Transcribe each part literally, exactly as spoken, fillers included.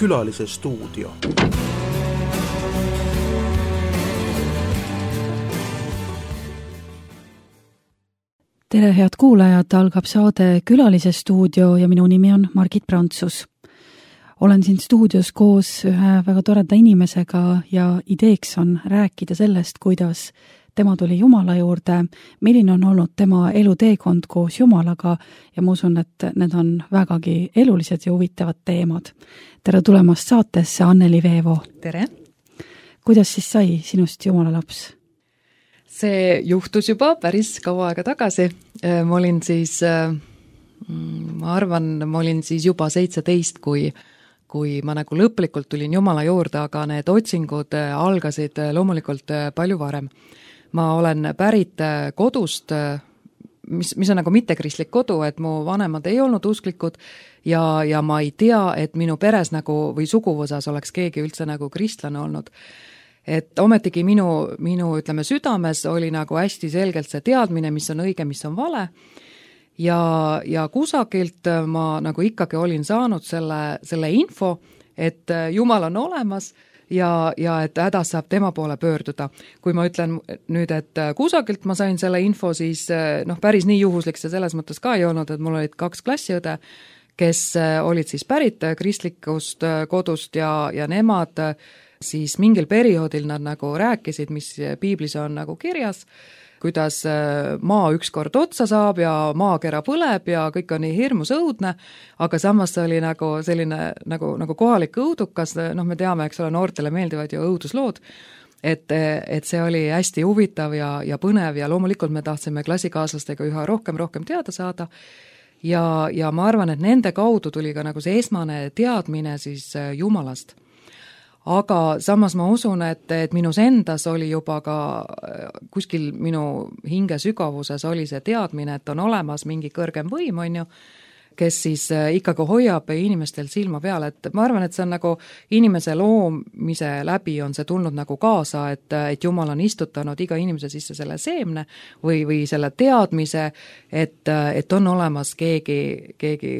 Külalise stuudio. Tere, head kuulajad, algab saade Külalise stuudio ja minu nimi on Margit Prantsus. Olen siin stuudios koos ühe väga toreda inimesega ja ideeks on rääkida sellest, kuidas tema tuli Jumala juurde, milline on olnud tema eluteekond koos Jumalaga ja ma usun, et need on vägagi elulised ja huvitavad teemad. Tere tulemast saatesse, Anneli Veevo. Tere! Kuidas siis sai sinust Jumala laps? See juhtus juba päris kaua aega tagasi. Ma olin siis, ma arvan, ma olin siis juba seitseteist, kui, kui ma nagu lõplikult tulin Jumala juurde, aga need otsingud algasid loomulikult palju varem. Ma olen pärit kodust, mis, mis on nagu mittekristlik kodu, et mu vanemad ei olnud usklikud ja, ja ma ei tea, et minu peres nagu või suguvõsas oleks keegi üldse nagu kristlane olnud. Et ometigi minu, minu ütleme, südames oli nagu hästi selgelt see teadmine, mis on õige, mis on vale ja, ja kusagilt ma nagu ikkagi olin saanud selle, selle info, et Jumal on olemas ja, ja et hädas saab tema poole pöörduda. Kui ma ütlen nüüd, et kusagilt ma sain selle info, siis noh, päris nii juhuslik see selles mõttes ka ei olnud, et mul olid kaks klassiõde, kes olid siis pärit kristlikust kodust ja, ja nemad siis mingil perioodil nad nagu rääkisid, mis piiblis on nagu kirjas, kuidas maa ükskord otsa saab ja maakera põleb ja kõik on nii hirmus õudne, aga samas oli nagu selline nagu, nagu kohalik õudukas, noh me teame, eks ole, noortele meeldivad ju õuduslood, et, et see oli hästi huvitav ja, ja põnev ja loomulikult me tahtsime klassikaaslastega üha rohkem, rohkem teada saada ja, ja ma arvan, et nende kaudu tuli ka nagu see esmane teadmine siis Jumalast. Aga samas ma usun, et, et minus endas oli juba ka kuskil minu hinge sügavuses oli see teadmine, et on olemas mingi kõrgem võim, on ju, kes siis ikkagi hoiab inimestel silma peal, et ma arvan, et see on nagu inimese loomise läbi on see tulnud nagu kaasa, et, et Jumal on istutanud iga inimese sisse selle seemne või, või selle teadmise, et, et on olemas keegi, keegi,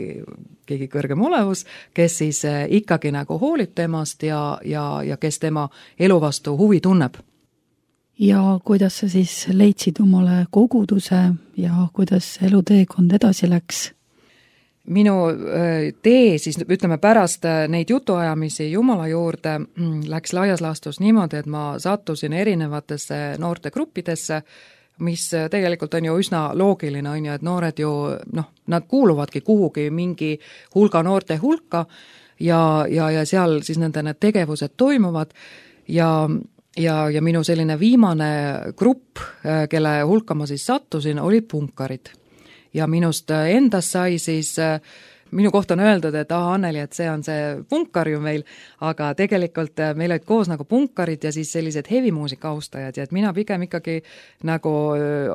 keegi kõrgem olevus, kes siis ikkagi nagu hoolib temast ja, ja, ja kes tema elu vastu huvi tunneb. Ja kuidas sa siis leidsid omale koguduse ja kuidas eluteekond edasi läks? Minu tee siis ütleme pärast neid jutuajamisi Jumala juurde läks laias laastus niimoodi, et ma sattusin erinevatesse noortegruppidesse, mis tegelikult on ju üsna loogiline, on ju, et noored ju, noh, nad kuuluvadki kuhugi mingi hulga noorte hulka ja, ja, ja seal siis nende need tegevused toimuvad ja, ja, ja minu selline viimane grupp, kelle hulka ma siis sattusin, olid punkarid. Ja minust endast sai siis, minu kohta on öeldud, et ah, Anneli, et see on see punkar ju meil, aga tegelikult meil olid koos nagu punkarid ja siis sellised hevimuusika austajad ja et mina pigem ikkagi nagu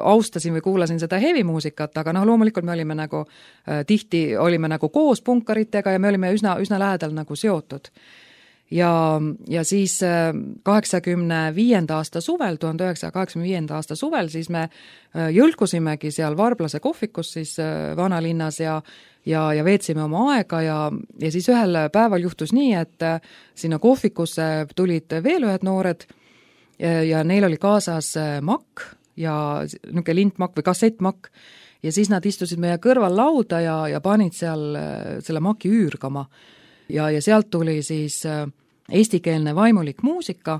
austasin või kuulasin seda hevimuusikat, aga noh, loomulikult me olime nagu, tihti olime nagu koos punkaritega ja me olime üsna, üsna lähedal nagu seotud. Ja, ja siis kaheksakümne viienda aasta suvel, tuhande üheksasaja kaheksakümne viienda aasta suvel, siis me jõlkusimegi seal Varblase kohvikus siis vanalinnas ja, ja, ja veetsime oma aega ja, ja siis ühel päeval juhtus nii, et sinna kohvikusse tulid veel ühed noored ja, ja neil oli kaasas makk ja niisugune lintmakk või kassettmakk ja siis nad istusid meie kõrval lauda ja, ja panid seal selle maki üürgama. Ja, ja sealt tuli siis eestikeelne vaimulik muusika,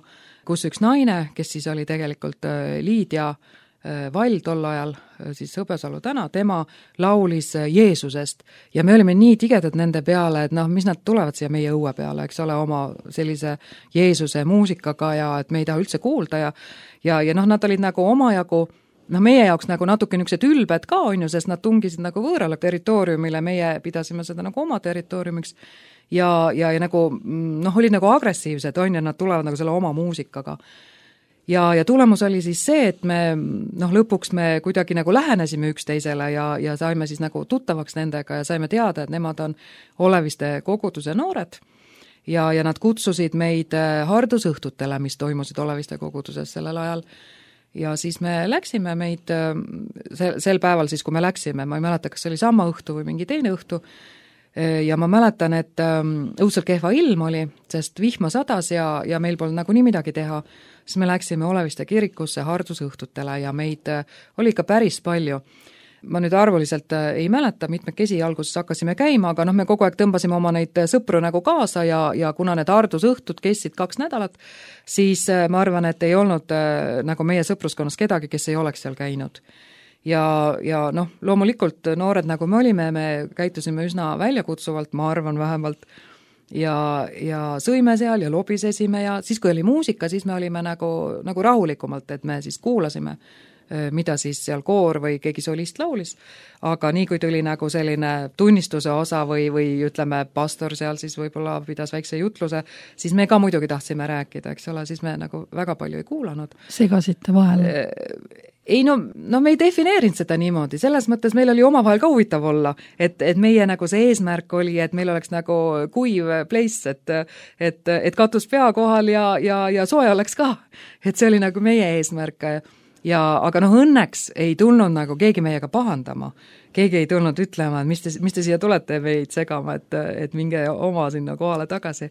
kus üks naine, kes siis oli tegelikult Liidia Vall tol ajal, siis Hõbesalu täna, tema laulis Jeesusest ja me olime nii tigedad nende peale, et noh, mis nad tulevad siia meie õue peale, eks ole, oma sellise Jeesuse muusikaga ja et me ei taha üldse kuulda ja, ja, ja noh, nad olid nagu omajagu, noh, meie jaoks nagu natuke niisugused ülbed ka on ju, sest nad tungisid nagu võõrale territooriumile, meie pidasime seda nagu oma territooriumiks ja, ja, ja nagu, noh, olid nagu agressiivsed, on ja nad tulevad nagu selle oma muusikaga. Ja, ja tulemus oli siis see, et me, noh, lõpuks me kuidagi nagu lähenesime üksteisele ja, ja saime siis nagu tuttavaks nendega ja saime teada, et nemad on Oleviste koguduse noored ja, ja nad kutsusid meid hardusõhtutele, mis toimusid Oleviste koguduses sellel ajal. Ja siis me läksime meid, sel, sel päeval siis, kui me läksime, ma ei mäleta, kas see oli sama õhtu või mingi teine õhtu, ja ma mäletan, et õudselt kehva ilm oli, sest vihma sadas ja, ja meil polnud nagu nii midagi teha, siis me läksime Oleviste kirikusse hardusõhtutele ja meid oli ikka päris palju. Ma nüüd arvuliselt ei mäleta, mitmekesi alguses hakkasime käima, aga noh, me kogu aeg tõmbasime oma neid sõpru nagu kaasa ja, ja kuna need hardusõhtud kestsid kaks nädalat, siis ma arvan, et ei olnud nagu meie sõpruskonnas kedagi, kes ei oleks seal käinud. Ja, ja noh, loomulikult noored nagu me olime, me käitusime üsna väljakutsuvalt, ma arvan vähemalt, ja, ja sõime seal ja lobisesime ja siis, kui oli muusika, siis me olime nagu, nagu rahulikumalt, et me siis kuulasime mida siis seal koor või keegi solist laulis, aga nii kui tuli nagu selline tunnistuse osa või, või ütleme, pastor seal siis võib-olla pidas väikse jutluse, siis me ka muidugi tahtsime rääkida, eks ole, siis me nagu väga palju ei kuulanud. Segasite vahel? Ei no, no me ei defineerinud seda niimoodi, selles mõttes meil oli omavahel ka huvitav olla, et, et meie nagu see eesmärk oli, et meil oleks nagu kuiv place, et, et, et katus pea kohal ja, ja, ja soe oleks ka, et see oli nagu meie eesmärk. Ja, aga noh, õnneks ei tulnud nagu keegi meiega pahandama. Keegi ei tulnud ütlema, et mis te, mis te siia tulete meid segama, et, et minge oma sinna kohale tagasi.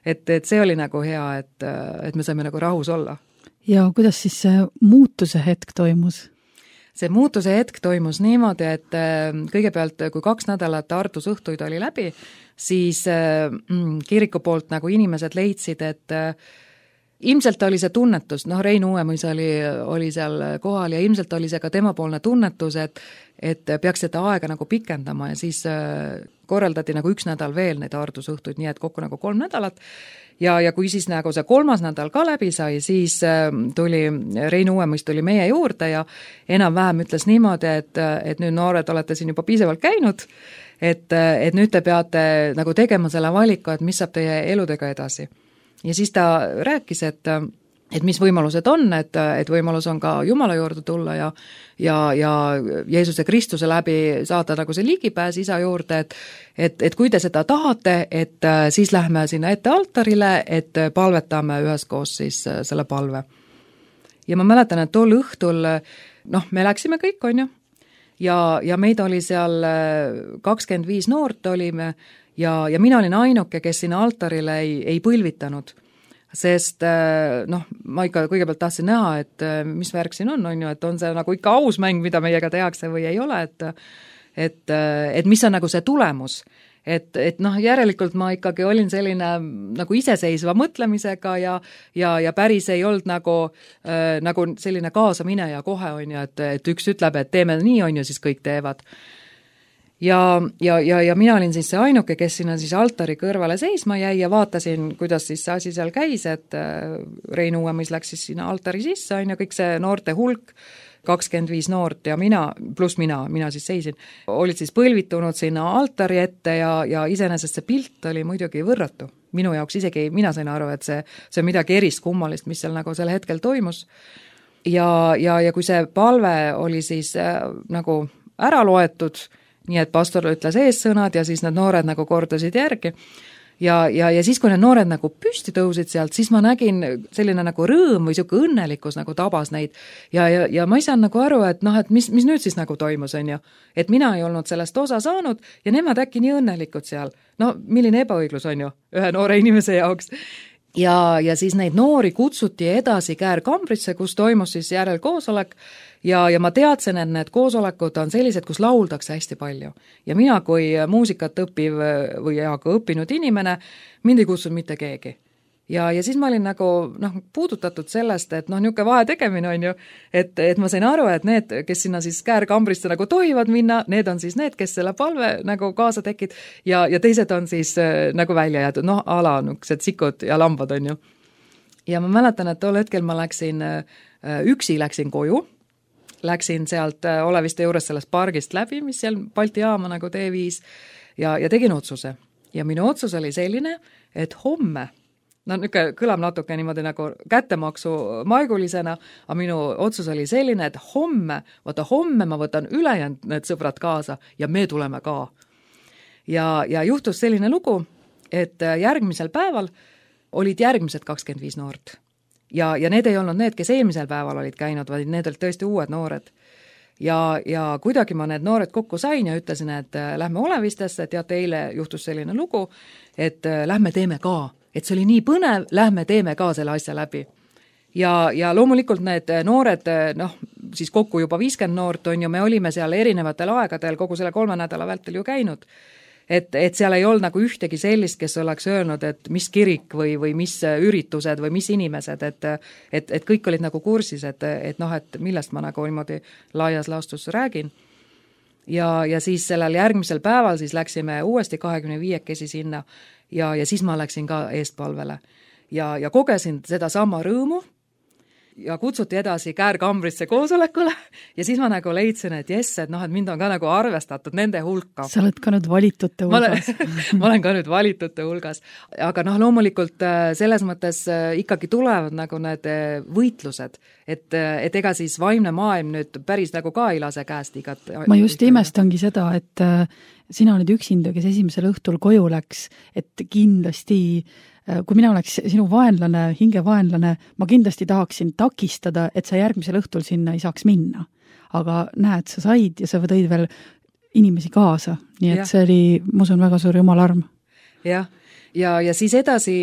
Et, et see oli nagu hea, et, et me saime nagu rahus olla. Ja kuidas siis see muutuse hetk toimus? See muutuse hetk toimus niimoodi, et kõigepealt, kui kaks nädalat hardusõhtuid oli läbi, siis mm, kiriku poolt nagu inimesed leidsid, et ilmselt oli see tunnetus, noh Rein Uuemõis oli, oli seal kohal ja ilmselt oli see ka temapoolne tunnetus, et, et peaks seda aega nagu pikendama ja siis korraldati nagu üks nädal veel neid hardusõhtuid, nii et kokku nagu kolm nädalat. Ja, ja kui siis nagu see kolmas nädal ka läbi sai, siis tuli, Rein Uuemõis tuli meie juurde ja enam-vähem ütles niimoodi, et, et nüüd noored olete siin juba piisavalt käinud, et, et nüüd te peate nagu tegema selle valiku, et mis saab teie eludega edasi. Ja siis ta rääkis, et, et mis võimalused on, et, et võimalus on ka Jumala juurde tulla ja, ja, ja Jeesuse Kristuse läbi saada nagu see ligipääs isa juurde, et, et, et kui te seda tahate, et siis lähme sinna ette altarile, et palvetame üheskoos siis selle palve. Ja ma mäletan, et tol õhtul, noh, me läksime kõik, on ju, ja, ja meid oli seal kakskümmend viis noort olime, Ja, ja mina olin ainuke, kes sinna altarile ei, ei põlvitanud, sest noh, ma ikka kõigepealt tahtsin näha, et mis värk siin on, on ju, et on see nagu ikka aus mäng, mida meiega tehakse või ei ole, et, et, et mis on nagu see tulemus. Et, et noh, järelikult ma ikkagi olin selline nagu iseseisva mõtlemisega ja, ja, ja päris ei olnud nagu, äh, nagu selline kaasamineja kohe, on ju, et, et üks ütleb, et teeme nii, on ju, siis kõik teevad. Ja, ja, ja, ja mina olin siis see ainuke, kes sinna siis altari kõrvale seisma jäi ja vaatasin, kuidas siis see asi seal käis, et Rein Uuemõis läks siis sinna altari sisse, on ju, kõik see noorte hulk, kakskümmend viis noort ja mina, pluss mina, mina siis seisin, olid siis põlvitunud sinna altari ette ja, ja iseenesest see pilt oli muidugi võrratu. Minu jaoks isegi mina sain aru, et see, see on midagi erist kummalist, mis seal nagu sel hetkel toimus. Ja, ja, ja kui see palve oli siis äh, nagu ära loetud, nii et pastor ütles eessõnad ja siis need noored nagu kordasid järgi. Ja, ja, ja siis, kui need noored nagu püsti tõusid sealt, siis ma nägin selline nagu rõõm või siuke õnnelikkus nagu tabas neid. Ja, ja, ja ma ei saanud nagu aru, et noh, et mis, mis nüüd siis nagu toimus, on ju. Et mina ei olnud sellest osa saanud ja nemad äkki nii õnnelikud seal. No, milline ebaõiglus on ju ühe noore inimese jaoks. Ja, ja siis neid noori kutsuti edasi Käär-Kambrisse, kus toimus siis järelkoosolek. Ja, ja ma teadsin, et need koosolekud on sellised, kus lauldakse hästi palju. Ja mina kui muusikat õppiv või aga õppinud inimene, mind ei kutsunud mitte keegi. Ja, ja siis ma olin nagu noh, puudutatud sellest, et noh, niuke vahe tegemine on ju, et, et ma sain aru, et need, kes sinna siis Käär-Kambrisse nagu tohivad minna, need on siis need, kes selle palve nagu kaasa tekid ja, ja teised on siis äh, nagu välja jäetud, noh, ala nukesed sikud ja lambad on ju. Ja ma mäletan, et tol hetkel ma läksin, äh, üksi läksin koju, läksin sealt Oleviste juures sellest pargist läbi, mis seal Balti jaama nagu tee viis ja, ja tegin otsuse. Ja minu otsus oli selline, et homme, no niuke kõlab natuke niimoodi nagu kättemaksu maigulisena, aga minu otsus oli selline, et homme, vaata homme ma võtan ülejäänud need sõbrad kaasa ja me tuleme ka. Ja, ja juhtus selline lugu, et järgmisel päeval olid järgmised kakskümmend viis noort. Ja, ja need ei olnud need, kes eelmisel päeval olid käinud, vaid need olid tõesti uued noored. ja, ja kuidagi ma need noored kokku sain ja ütlesin, et lähme Olevistesse, teate, eile juhtus selline lugu, et lähme teeme ka, et see oli nii põnev, lähme teeme ka selle asja läbi. Ja, ja loomulikult need noored, noh, siis kokku juba viiskümmend noort on ju, me olime seal erinevatel aegadel kogu selle kolme nädala vältel ju käinud. Et, et seal ei olnud nagu ühtegi sellist, kes oleks öelnud, et mis kirik või, või mis üritused või mis inimesed, et, et, et kõik olid nagu kursis, et, et noh, et millest ma nagu niimoodi laias laastus räägin. Ja, ja siis sellel järgmisel päeval siis läksime uuesti kahekümne viiekesi sinna ja, ja siis ma läksin ka eestpalvele. Ja, ja kogesin seda sama rõõmu ja kutsuti edasi Käärkambrisse koosolekule ja siis ma nagu leidsin, et jess, et noh, et mind on ka nagu arvestatud nende hulka. Sa oled ka nüüd valitute hulgas. Ma olen, ma olen ka nüüd valitute hulgas. Aga noh, loomulikult selles mõttes ikkagi tulevad nagu need võitlused, et, et ega siis vaimne maailm nüüd päris nagu ka ei lase käest igat. Ma just imestangi seda, et sina olid üksinda, kes esimesel õhtul koju läks, et kindlasti kui mina oleks sinu vaenlane, hingevaenlane, ma kindlasti tahaksin takistada, et sa järgmisel õhtul sinna ei saaks minna. Aga näed, sa said ja sa tõid veel inimesi kaasa. Nii et ja. See oli, ma usun, väga suur jumalarm. Jah, ja, ja siis edasi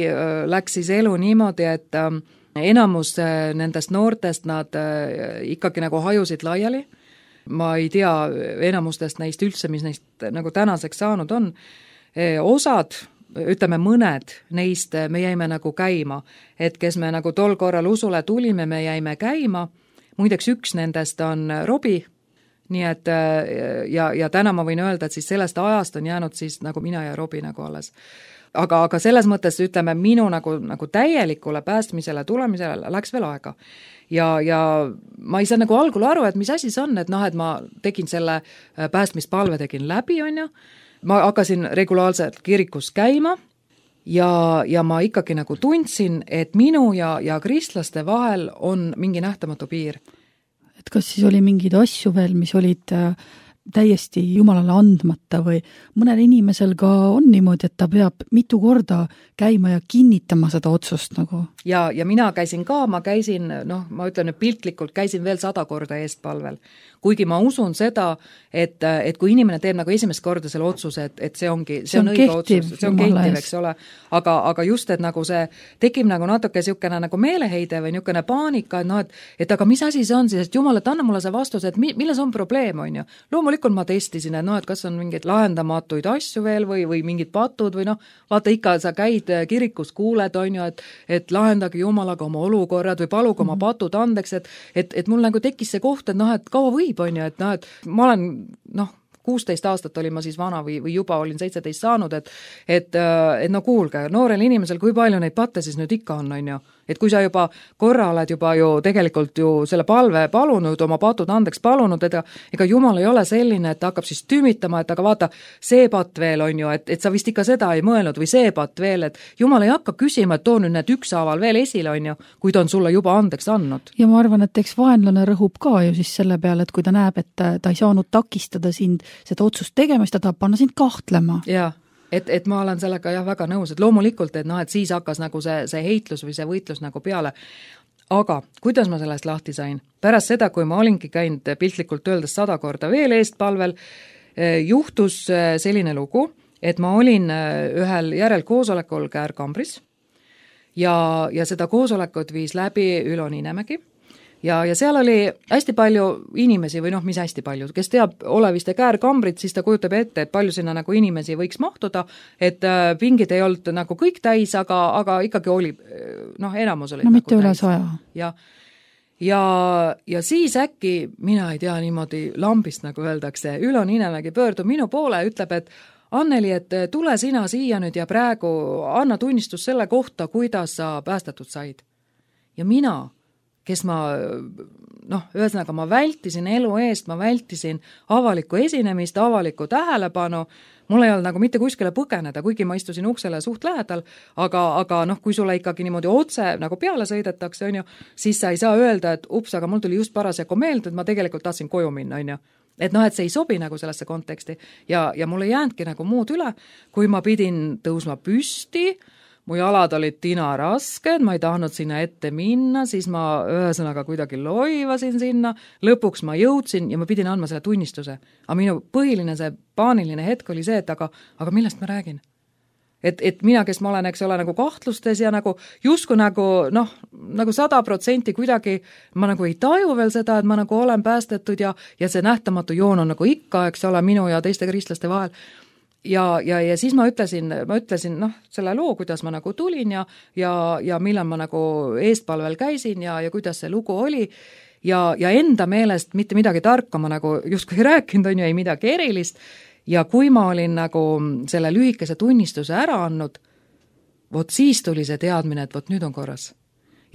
läks siis elu niimoodi, et enamus nendest noortest nad ikkagi nagu hajusid laiali. Ma ei tea enamustest neist üldse, mis neist nagu tänaseks saanud on. Osad ütleme mõned neist me jäime nagu käima, et kes me nagu tol korral usule tulime, me jäime käima, muideks üks nendest on Robi, nii et ja, ja täna ma võin öelda, et siis sellest ajast on jäänud siis nagu mina ja Robi nagu alles. Aga, aga selles mõttes ütleme minu nagu, nagu täielikule päästmisele tulemisele läks veel aega. Ja, ja ma ei saa nagu algul aru, et mis asi see on, et noh, et ma tegin selle päästmispalve tegin läbi, on ju, ma hakkasin regulaarselt kirikus käima ja, ja ma ikkagi nagu tundsin, et minu ja, ja kristlaste vahel on mingi nähtamatu piir. Et kas siis oli mingeid asju veel, mis olid täiesti Jumalale andmata või mõnel inimesel ka on niimoodi, et ta peab mitu korda käima ja kinnitama seda otsust nagu? Ja, ja mina käisin ka, ma käisin, noh, ma ütlen nüüd piltlikult, käisin veel sada korda eestpalvel. Kuigi ma usun seda, et, et kui inimene teeb nagu esimest korda selle otsuse, et, et see ongi, see, see on, on õige kehtiv, otsus, see on kehtiv, eks ole, aga, aga just, et nagu see tekib nagu natuke niisugune nagu meeleheide või niisugune paanika, et noh, et, et aga mis asi see on siis, et Jumal, et anna mulle see vastus, et mi, milles on probleem, on ju. Loomulikult ma testisin, et noh, et kas on mingeid lahendamatuid asju veel või, või mingid patud või noh, vaata ikka, sa käid kirikus, kuuled, on ju, et, et lahendage Jumalaga oma olukorrad või paluge oma patud andeks, et, et, et mul nagu tekkis see koht, et noh, et kaua või on ju, et noh, et ma olen, noh, kuusteist aastat olin ma siis vana või, või juba olin seitseteist saanud, et, et, et no kuulge, noorel inimesel, kui palju neid patte siis nüüd ikka on, on ju. Et kui sa juba korra oled juba ju tegelikult ju selle palve palunud, oma patud andeks palunud, et ega Jumal ei ole selline, et ta hakkab siis tümitama, et aga vaata, see patt veel on ju, et, et sa vist ikka seda ei mõelnud või see patt veel, et Jumal ei hakka küsima, et too nüüd need ükshaaval veel esile on ju, kui ta on sulle juba andeks andnud. Ja ma arvan, et eks vaenlane rõhub ka ju siis selle peale, et kui ta näeb, et ta, ta ei saanud takistada sind seda otsust tegemist, ta tahab panna sind kahtlema. Jaa. Et, et ma olen sellega jah väga nõus, et loomulikult, et noh, et siis hakkas nagu see, see heitlus või see võitlus nagu peale. Aga kuidas ma sellest lahti sain? Pärast seda, kui ma olingi käinud piltlikult öeldes sada korda veel eestpalvel, juhtus selline lugu, et ma olin ühel järelkoosolekul Käärkambris ja, ja seda koosolekut viis läbi Ülo Niinemägi. Ja, ja seal oli hästi palju inimesi või noh, mis hästi palju, kes teab Oleviste Käärkambrit, siis ta kujutab ette, et palju sinna nagu inimesi võiks mahtuda, et pingid ei olnud nagu kõik täis, aga, aga ikkagi oli, noh, enamus oli no nagu mitte üle saja. Ja, ja, ja siis äkki, mina ei tea niimoodi lambist, nagu öeldakse, Ülo Niinemägi pöördub minu poole ja ütleb, et Anneli, et tule sina siia nüüd ja praegu anna tunnistus selle kohta, kuidas sa päästetud said. Ja mina kes ma, noh, ühesõnaga ma vältisin elu eest, ma vältisin avalikku esinemist, avalikku tähelepanu, mul ei olnud nagu mitte kuskile põgeneda, kuigi ma istusin uksele suht lähedal, aga, aga noh, kui sulle ikkagi niimoodi otse nagu peale sõidetakse, on ju, siis sa ei saa öelda, et ups, aga mul tuli just parasjagu meelde, et ma tegelikult tahtsin koju minna, on ju. Et noh, et see ei sobi nagu sellesse konteksti ja, ja mul ei jäänudki nagu muud üle, kui ma pidin tõusma püsti, mu jalad olid tinarasked, ma ei tahtnud sinna ette minna, siis ma ühesõnaga kuidagi loivasin sinna, lõpuks ma jõudsin ja ma pidin andma selle tunnistuse. Aga minu põhiline see paaniline hetk oli see, et aga, aga millest ma räägin? Et, et mina, kes ma olen, eks ole, nagu kahtlustes ja nagu justkui nagu, noh, nagu sada protsenti kuidagi, ma nagu ei taju veel seda, et ma nagu olen päästetud ja, ja see nähtamatu joon on nagu ikka, eks ole, minu ja teiste kristlaste vahel. Ja, ja, ja siis ma ütlesin, ma ütlesin, noh, selle loo, kuidas ma nagu tulin ja, ja, ja millal ma nagu eestpalvel käisin ja, ja kuidas see lugu oli ja, ja enda meelest mitte midagi tarka ma nagu justkui rääkinud on ju, ei midagi erilist. Ja kui ma olin nagu selle lühikese tunnistuse ära andnud, vot siis tuli see teadmine, et vot nüüd on korras.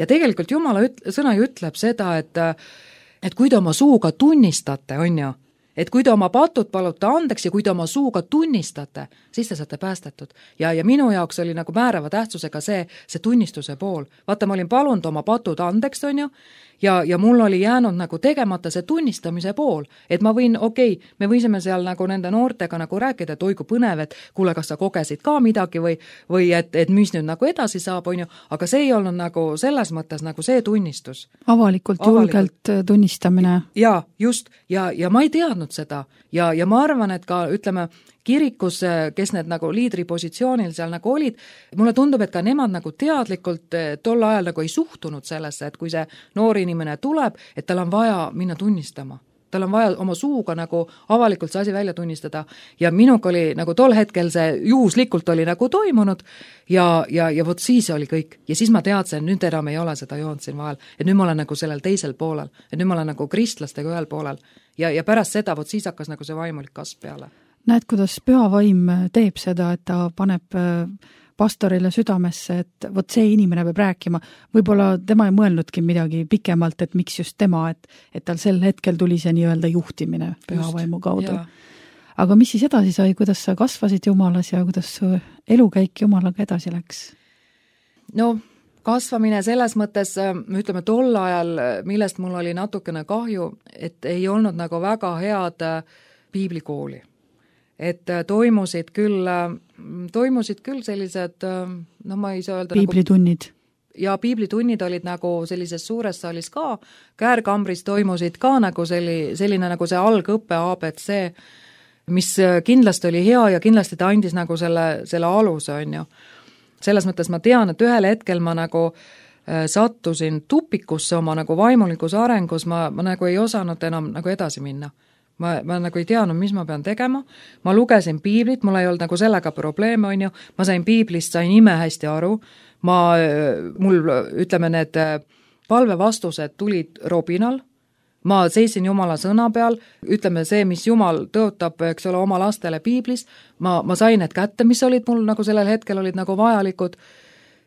Ja tegelikult Jumala üt- sõna ju ütleb seda, et, et kui te oma suuga tunnistate, on ju, et kui te oma patud palute andeks ja kui te oma suuga tunnistate, siis te saate päästetud. Ja, ja minu jaoks oli nagu määrava tähtsusega see, see tunnistuse pool. Vaata, ma olin palunud oma patud andeks, on ju, ja, ja mul oli jäänud nagu tegemata see tunnistamise pool, et ma võin, okei, okay, me võisime seal nagu nende noortega nagu rääkida, et oi kui põnev, et kuule, kas sa kogesid ka midagi või, või et, et mis nüüd nagu edasi saab, on ju, aga see ei olnud nagu selles mõttes nagu see tunnistus. Avalikult, Avalikult. julgelt tunnistamine. Ja, just, ja, ja ma ei teadnud seda ja, ja ma arvan, et ka, ütleme, kirikus, kes need nagu liidripositsioonil seal nagu olid, mulle tundub, et ka nemad nagu teadlikult tol ajal nagu ei suhtunud sellesse, et kui see noor inimene tuleb, et tal on vaja minna tunnistama. Tal on vaja oma suuga nagu avalikult see asi välja tunnistada ja minuga oli nagu tol hetkel see juhuslikult oli nagu toimunud ja, ja, ja vot siis oli kõik. Ja siis ma teadsin, nüüd enam ei ole seda joont siin vahel, et nüüd ma olen nagu sellel teisel poolel, et nüüd ma olen nagu kristlastega ühel poolel ja, ja pärast seda vot siis hakkas nagu see vaimulik kasv peale. Näed, kuidas püha vaim teeb seda, et ta paneb pastorile südamesse, et vot see inimene peab rääkima. Võib-olla tema ei mõelnudki midagi pikemalt, et miks just tema, et, et tal sel hetkel tuli see nii-öelda juhtimine püha vaimu kaudu. Ja. Aga mis siis edasi sai, kuidas sa kasvasid Jumalas ja kuidas su elukäik Jumalaga edasi läks? No, kasvamine selles mõttes, ütleme tol ajal, millest mul oli natukene kahju, et ei olnud nagu väga head piiblikooli. Et toimusid küll, toimusid küll sellised, no ma ei saa öelda piiblitunnid. Nagu, ja piiblitunnid olid nagu sellises suures saalis ka, Käärkambris toimusid ka nagu selli, selline nagu see algõppe A B C, mis kindlasti oli hea ja kindlasti ta andis nagu selle, selle aluse, on ju. Selles mõttes ma tean, et ühel hetkel ma nagu sattusin tupikusse oma nagu vaimulikus arengus, ma, ma nagu ei osanud enam nagu edasi minna. Ma, ma nagu ei teadnud, mis ma pean tegema, ma lugesin piiblit, mul ei olnud nagu sellega probleeme, on ju, ma sain piiblist, sain ime hästi aru, ma, mul, ütleme, need palvevastused tulid robinal, ma seisin Jumala sõna peal, ütleme see, mis Jumal tõotab, eks ole, oma lastele piiblis, ma, ma sain need kätte, mis olid mul nagu sellel hetkel olid nagu vajalikud.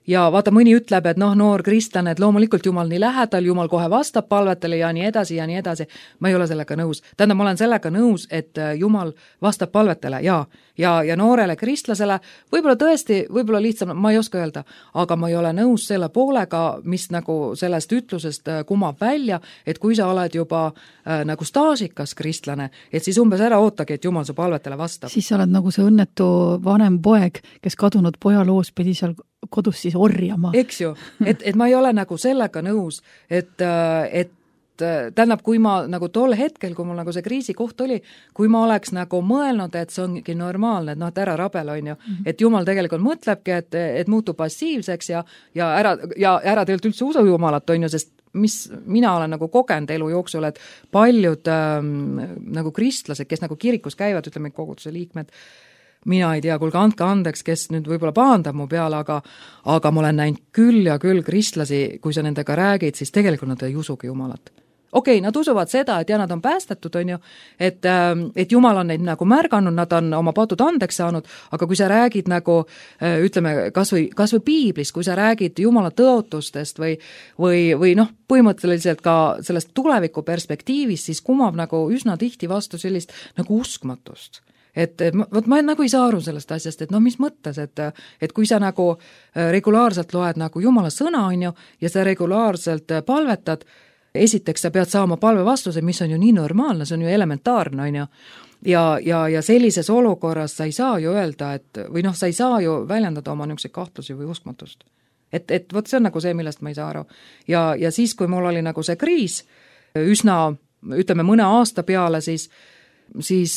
Ja vaata, mõni ütleb, et noh, noor kristlane, et loomulikult Jumal nii lähedal, Jumal kohe vastab palvetele ja nii edasi ja nii edasi. Ma ei ole sellega nõus. Tähendab, ma olen sellega nõus, et Jumal vastab palvetele ja, ja, ja noorele kristlasele, võib-olla tõesti, võib-olla lihtsam, ma ei oska öelda, aga ma ei ole nõus selle poolega, mis nagu sellest ütlusest kumab välja, et kui sa oled juba äh, nagu staažikas kristlane, et siis umbes ära ootagi, et Jumal su palvetele vastab. Siis sa oled nagu see õnnetu vanem poeg, kes kadunud poja loos pidi seal kodus siis orjama. Eks ju, et, et ma ei ole nagu sellega nõus, et, et tähendab, kui ma nagu tol hetkel, kui mul nagu see kriisikoht oli, kui ma oleks nagu mõelnud, et see ongi normaalne, et noh, et ära rabel on ju, mm-hmm. et Jumal tegelikult mõtlebki, et, et muutub passiivseks ja, ja ära, ja ära tegelikult üldse usu Jumalat on ju, sest mis mina olen nagu kogenud elu jooksul, et paljud ähm, nagu kristlased, kes nagu kirikus käivad, ütleme koguduse liikmed, mina ei tea, kuulge, andke andeks, kes nüüd võib-olla pahandab mu peale, aga, aga ma olen näinud küll ja küll kristlasi, kui sa nendega räägid, siis tegelikult nad ei usugi Jumalat. Okei, okay, nad usuvad seda, et ja nad on päästetud, on ju, et, et Jumal on neid nagu märganud, nad on oma patud andeks saanud, aga kui sa räägid nagu, ütleme, kas või, kas või piiblis, kui sa räägid Jumala tõotustest või, või, või noh, põhimõtteliselt ka sellest tuleviku perspektiivist, siis kumab nagu üsna tihti vastu sellist nagu uskmatust. Et, et võt, ma nagu ei saa aru sellest asjast, et no mis mõttes, et, et kui sa nagu regulaarselt loed nagu Jumala sõna, on ju, ja sa regulaarselt palvetad, esiteks sa pead saama palve vastuse, mis on ju nii normaalne, see on ju elementaarne, on ju, ja, ja, ja sellises olukorras sa ei saa ju öelda, et või noh, sa ei saa ju väljendada oma niisuguseid kahtlusi või uskmatust. Et, et vot see on nagu see, millest ma ei saa aru. Ja, ja siis, kui mul oli nagu see kriis, üsna, ütleme, mõne aasta peale, siis siis,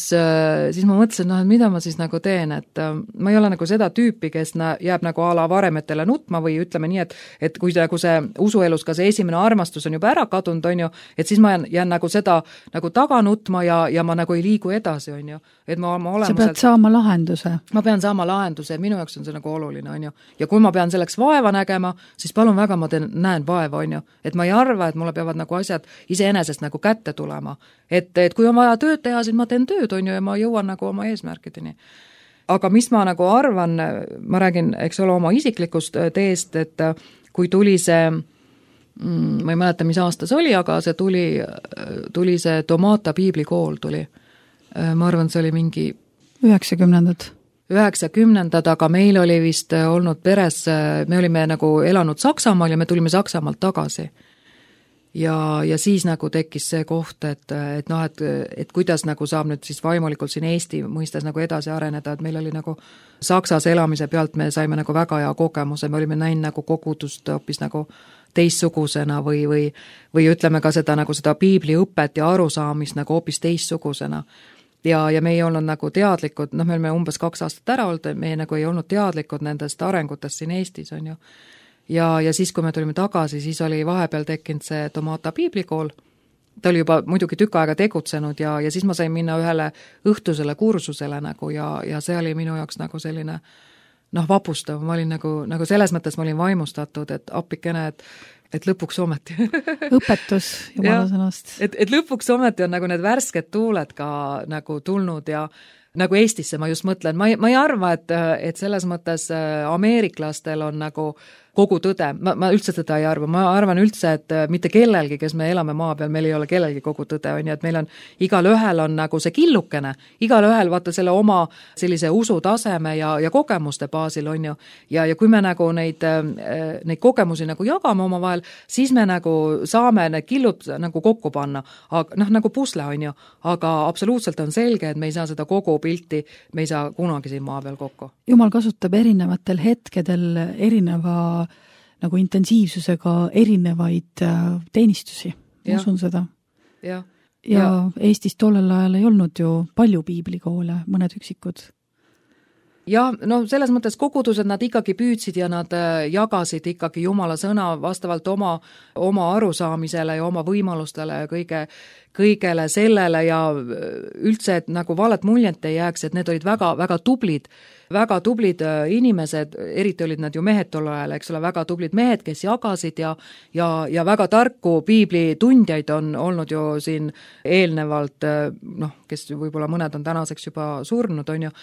siis ma mõtlesin, noh, et mida ma siis nagu teen, et ma ei ole nagu seda tüüpi, kes nä, jääb nagu a la varemetele nutma või ütleme nii, et, et kui nagu see usuelus ka see esimene armastus on juba ära kadunud, on ju, et siis ma jään, jään nagu seda nagu taga nutma ja, ja ma nagu ei liigu edasi, on ju. Et ma, ma olemuselt, sa pead saama lahenduse. Ma pean saama lahenduse, minu jaoks on see nagu oluline, on ju. Ja kui ma pean selleks vaeva nägema, siis palun väga ma teen, näen vaeva, on ju. Et ma ei arva, et mulle peavad nagu asjad iseenesest nagu kätte tulema. Et, et kui on vaja tööd teha, siis ma teen tööd, on ju, ja ma jõuan nagu oma eesmärkideni. Aga mis ma nagu arvan, ma räägin, eks ole, oma isiklikust teest, et kui tuli see, ma ei mäleta, mis aasta see oli, aga see tuli, tuli see Tomata piiblikool tuli. Ma arvan, see oli mingi üheksakümnendad. üheksakümnendad, aga meil oli vist olnud peres, me olime nagu elanud Saksamaal ja me tulime Saksamaalt tagasi. Ja, ja siis nagu tekkis see koht, et, et noh, et, et kuidas nagu saab nüüd siis vaimulikult siin Eesti mõistes nagu edasi areneda, et meil oli nagu Saksas elamise pealt me saime nagu väga hea kogemuse, me olime näinud nagu kogudust hoopis nagu teistsugusena või, või, või ütleme ka seda nagu seda piibliõpet ja arusaamist nagu hoopis teistsugusena. Ja, ja me ei olnud nagu teadlikud, noh, me olime umbes kaks aastat ära olnud, me nagu ei olnud teadlikud nendest arengutest siin Eestis, on ju. Ja, ja siis, kui me tulime tagasi, siis oli vahepeal tekkinud see Tomata piiblikool. Ta oli juba muidugi tükk aega tegutsenud ja, ja siis ma sain minna ühele õhtusele kursusele nagu ja, ja see oli minu jaoks nagu selline noh, vapustav. Ma olin nagu, nagu selles mõttes ma olin vaimustatud, et appikene, et, et lõpuks ometi. Õpetus jumala sõnast. Et, et lõpuks ometi on nagu need värsked tuuled ka nagu tulnud ja nagu Eestisse ma just mõtlen, ma ei, ma ei arva, et, et selles mõttes ameeriklastel on nagu kogu tõde, ma, ma üldse tõde ei arva, ma arvan üldse, et mitte kellelgi, kes me elame maa peal, meil ei ole kellelgi kogu tõde, on ju, et meil on, igal ühel on nagu see killukene, igal ühel vaata selle oma sellise usutaseme ja, ja kogemuste baasil, on ju, ja, ja kui me nagu neid, neid kogemusi nagu jagame oma vahel, siis me nagu saame need killud nagu kokku panna, aga noh, nagu pusle, on ju, aga absoluutselt on selge, et me ei saa seda kogu pilti, me ei saa kunagi siin maa peal kokku. Jumal kasutab erinevatel hetkedel erineva nagu intensiivsusega erinevaid teenistusi, ma usun seda. Ja, ja, ja Eestis tollel ajal ei olnud ju palju piiblikoole, mõned üksikud. Ja no selles mõttes kogudused nad ikkagi püüdsid ja nad jagasid ikkagi Jumala sõna vastavalt oma, oma arusaamisele ja oma võimalustele ja kõige, kõigele sellele ja üldse, et nagu valet muljet ei jääks, et need olid väga, väga tublid, väga tublid inimesed, eriti olid nad ju mehed tol ajal, eks ole, väga tublid mehed, kes jagasid ja, ja, ja väga tarku piiblitundjaid on olnud ju siin eelnevalt, noh, kes võib-olla mõned on tänaseks juba surnud, on ju,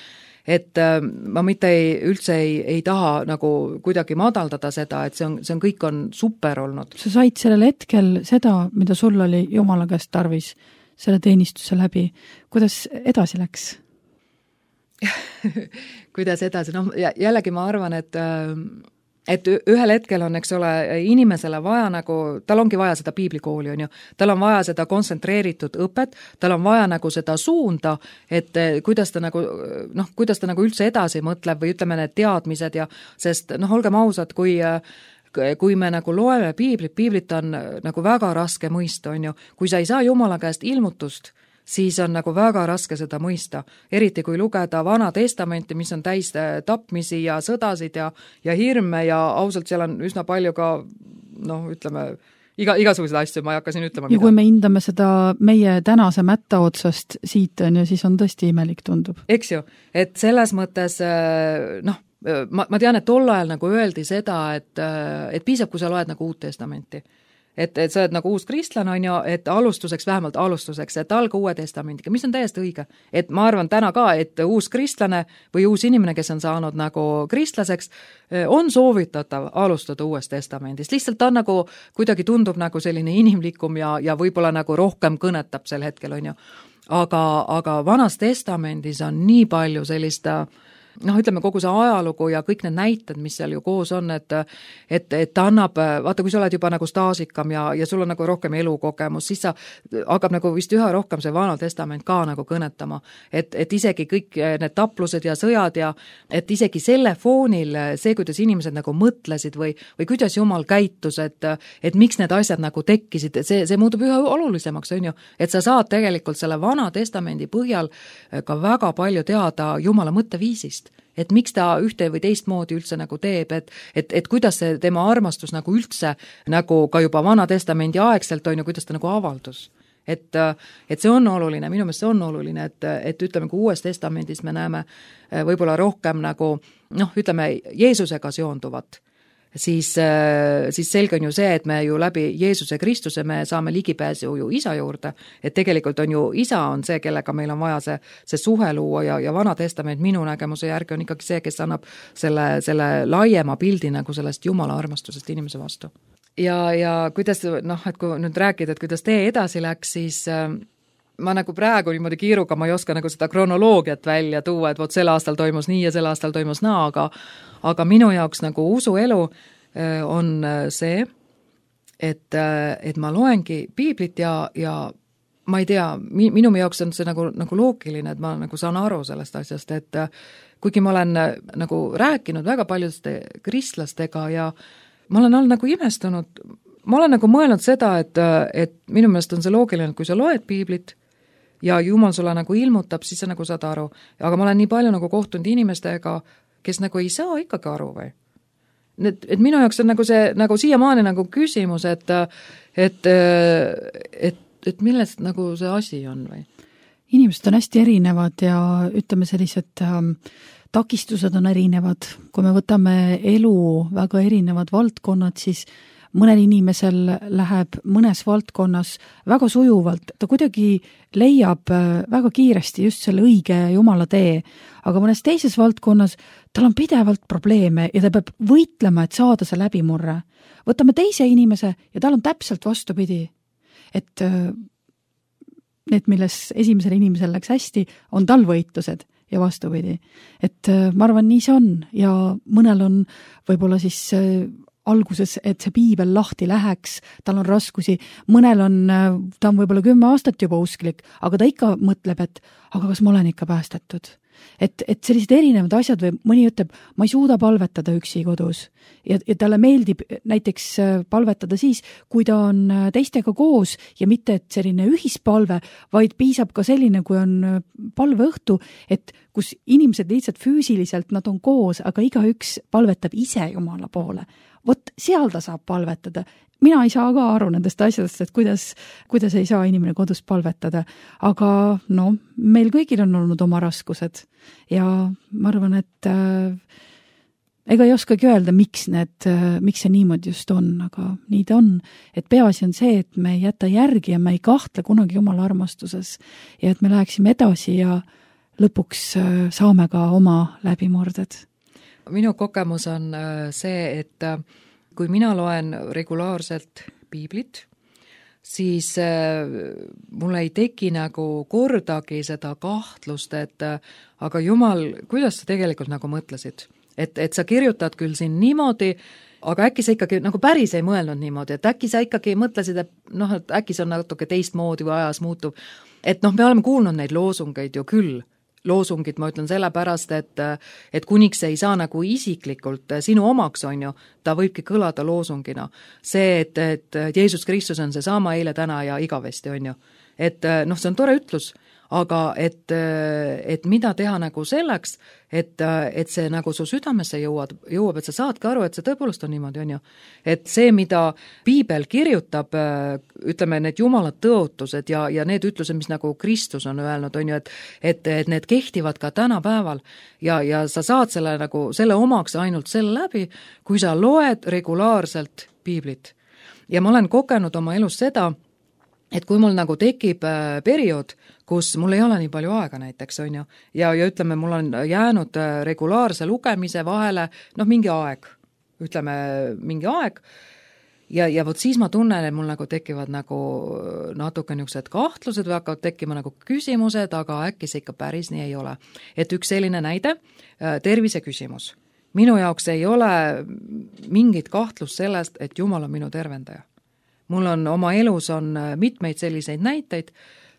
et ma mitte ei, üldse ei, ei taha nagu kuidagi madaldada seda, et see on, see on kõik on super olnud. Sa said sellel hetkel seda, mida sul oli Jumala käest tarvis selle teenistuse läbi. Kuidas edasi läks? Kuidas edasi? No, jällegi ma arvan, et et ühel hetkel on, eks ole, inimesele vaja nagu, tal ongi vaja seda piiblikooli, on ju, tal on vaja seda kontsentreeritud õpet, tal on vaja nagu seda suunda, et kuidas ta nagu, noh, kuidas ta nagu üldse edasi mõtleb või ütleme need teadmised ja, sest noh, olgem ausad, kui kui me nagu loeme piiblit, piiblit on nagu väga raske mõista, on ju, kui sa ei saa Jumala käest ilmutust, siis on nagu väga raske seda mõista. Eriti kui lugeda Vana Testamenti, mis on täis tapmisi ja sõdasid ja, ja hirme ja ausalt seal on üsna palju ka, noh, ütleme, iga, igasuguseid asju, ma ei hakka siin ütlema. Ja mida. Kui me hindame seda meie tänase mätta otsast siit, on ju, siis on tõesti imelik tundub. Eks ju, et selles mõttes, noh, ma, ma tean, et tol ajal nagu öeldi seda, et, et piisab, kui sa loed nagu Uut Testamenti. Et, et sa oled nagu uus kristlane, on ju, et alustuseks, vähemalt alustuseks, et alga Uue Testamendiga, mis on täiesti õige. Et ma arvan täna ka, et uus kristlane või uus inimene, kes on saanud nagu kristlaseks, on soovitatav alustada Uuest Testamendist. Lihtsalt ta nagu kuidagi tundub nagu selline inimlikum ja, ja võib-olla nagu rohkem kõnetab sel hetkel, on ju. Aga, aga Vanas Testamendis on nii palju sellist noh, ütleme kogu see ajalugu ja kõik need näited, mis seal ju koos on, et et, et ta annab, vaata, kui sa oled juba nagu staažikam ja, ja sul on nagu rohkem elukogemus, siis sa hakkab nagu vist üha rohkem see Vana Testament ka nagu kõnetama. Et, et isegi kõik need taplused ja sõjad ja et isegi selle foonil see, kuidas inimesed nagu mõtlesid või, või kuidas Jumal käitus, et, et miks need asjad nagu tekkisid, see, see muutub üha olulisemaks, on ju, et sa saad tegelikult selle Vana Testamendi põhjal ka väga palju teada Jumala mõtteviisist, et miks ta ühte või teistmoodi üldse nagu teeb, et, et, et kuidas see tema armastus nagu üldse nagu ka juba Vana Testamendi aegselt on ju, kuidas ta nagu avaldus. Et, et see on oluline, minu meelest see on oluline, et, et ütleme, kui Uues Testamendis me näeme võib-olla rohkem nagu, noh, ütleme, Jeesusega seonduvat, siis, siis selge on ju see, et me ju läbi Jeesuse Kristuse me saame ligipääsu ju isa juurde, et tegelikult on ju isa on see, kellega meil on vaja see, see suhe luua ja, ja Vana Testament minu nägemuse järgi on ikkagi see, kes annab selle, selle laiema pildi nagu sellest Jumala armastusest inimese vastu. Ja, ja kuidas, noh, et kui nüüd rääkida, et kuidas tee edasi läks, siis äh, ma nagu praegu niimoodi kiiruga, ma ei oska nagu seda kronoloogiat välja tuua, et vot sel aastal toimus nii ja sel aastal toimus naa, aga, aga minu jaoks nagu usuelu äh, on see, et, äh, et ma loengi piiblit ja, ja ma ei tea, mi, minu jaoks on see nagu, nagu loogiline, et ma nagu saan aru sellest asjast, et äh, kuigi ma olen äh, nagu rääkinud väga paljude kristlastega ja ma olen olnud nagu imestunud, ma olen nagu mõelnud seda, et, et minu meelest on see loogiline, et kui sa loed piiblit ja Jumal sulle nagu ilmutab, siis sa nagu saad aru. Aga ma olen nii palju nagu kohtunud inimestega, kes nagu ei saa ikkagi aru või. Et, et minu jaoks on nagu see nagu siiamaani nagu küsimus, et, et, et, et millest nagu see asi on või? Inimesed on hästi erinevad ja ütleme sellised ähm, takistused on erinevad. Kui me võtame elu väga erinevad valdkonnad, siis mõnel inimesel läheb mõnes valdkonnas väga sujuvalt. Ta kuidagi leiab väga kiiresti just selle õige Jumala tee, aga mõnes teises valdkonnas tal on pidevalt probleeme ja ta peab võitlema, et saada see läbimurre. Võtame teise inimese ja tal on täpselt vastupidi. Et need, milles esimesel inimesel läks hästi, on tal võitlused ja vastupidi. Et ma arvan, nii see on ja mõnel on võib-olla siis alguses, et see piibel lahti läheks, tal on raskusi, mõnel on, ta on võib-olla kümme aastat juba usklik, aga ta ikka mõtleb, et aga kas ma olen ikka päästetud? Et, et sellised erinevad asjad või mõni ütleb, ma ei suuda palvetada üksi kodus ja, ja talle meeldib näiteks palvetada siis, kui ta on teistega koos ja mitte et selline ühispalve, vaid piisab ka selline, kui on palveõhtu, et kus inimesed lihtsalt füüsiliselt nad on koos, aga igaüks palvetab ise Jumala poole. Vot seal ta saab palvetada. Mina ei saa ka aru nendest asjadest, et kuidas, kuidas ei saa inimene kodus palvetada, aga no, meil kõigil on olnud oma raskused ja ma arvan, et äh, ega ei oskagi öelda, miks, need, äh, miks see niimoodi just on, aga nii ta on, et peaasi on see, et me ei jäta järgi ja me ei kahtle kunagi Jumala armastuses ja et me läheksime edasi ja lõpuks äh, saame ka oma läbimurded. Minu kogemus on äh, see, et äh, kui mina loen regulaarselt piiblit, siis äh, mul ei teki nagu kordagi seda kahtlust, et äh, aga Jumal, kuidas sa tegelikult nagu mõtlesid? Et, et sa kirjutad küll siin niimoodi, aga äkki sa ikkagi nagu päris ei mõelnud niimoodi, et äkki sa ikkagi mõtlesid, et noh, et äkki see on natuke teistmoodi või ajas muutub. Et noh, me oleme kuulnud neid loosungeid ju küll, loosungid, ma ütlen sellepärast, et, et kuniks ei saa nagu isiklikult sinu omaks, on ju, ta võibki kõlada loosungina. See, et, et Jeesus Kristus on see sama eile, täna ja igavesti, on ju. Et noh, see on tore ütlus, aga et, et mida teha nagu selleks, et, et see nagu su südamesse jõuab, jõuab, et sa saadki aru, et see tõepoolest on niimoodi, on ju. Et see, mida piibel kirjutab, ütleme, need Jumala tõotused ja, ja need ütlused, mis nagu Kristus on öelnud, on ju, et, et, et need kehtivad ka tänapäeval ja, ja sa saad selle nagu, selle omaks ainult selle läbi, kui sa loed regulaarselt piiblit. Ja ma olen kogenud oma elus seda, et kui mul nagu tekib periood, kus mul ei ole nii palju aega näiteks, on ju, ja, ja ütleme, mul on jäänud regulaarse lugemise vahele, noh, mingi aeg, ütleme, mingi aeg, ja, ja vot siis ma tunnen, et mul nagu tekivad nagu natuke niisugused kahtlused või hakkavad tekkima nagu küsimused, aga äkki see ikka päris nii ei ole. Et üks selline näide, tervise küsimus. Minu jaoks ei ole mingit kahtlust sellest, et Jumal on minu tervendaja. Mul on oma elus on mitmeid selliseid näiteid,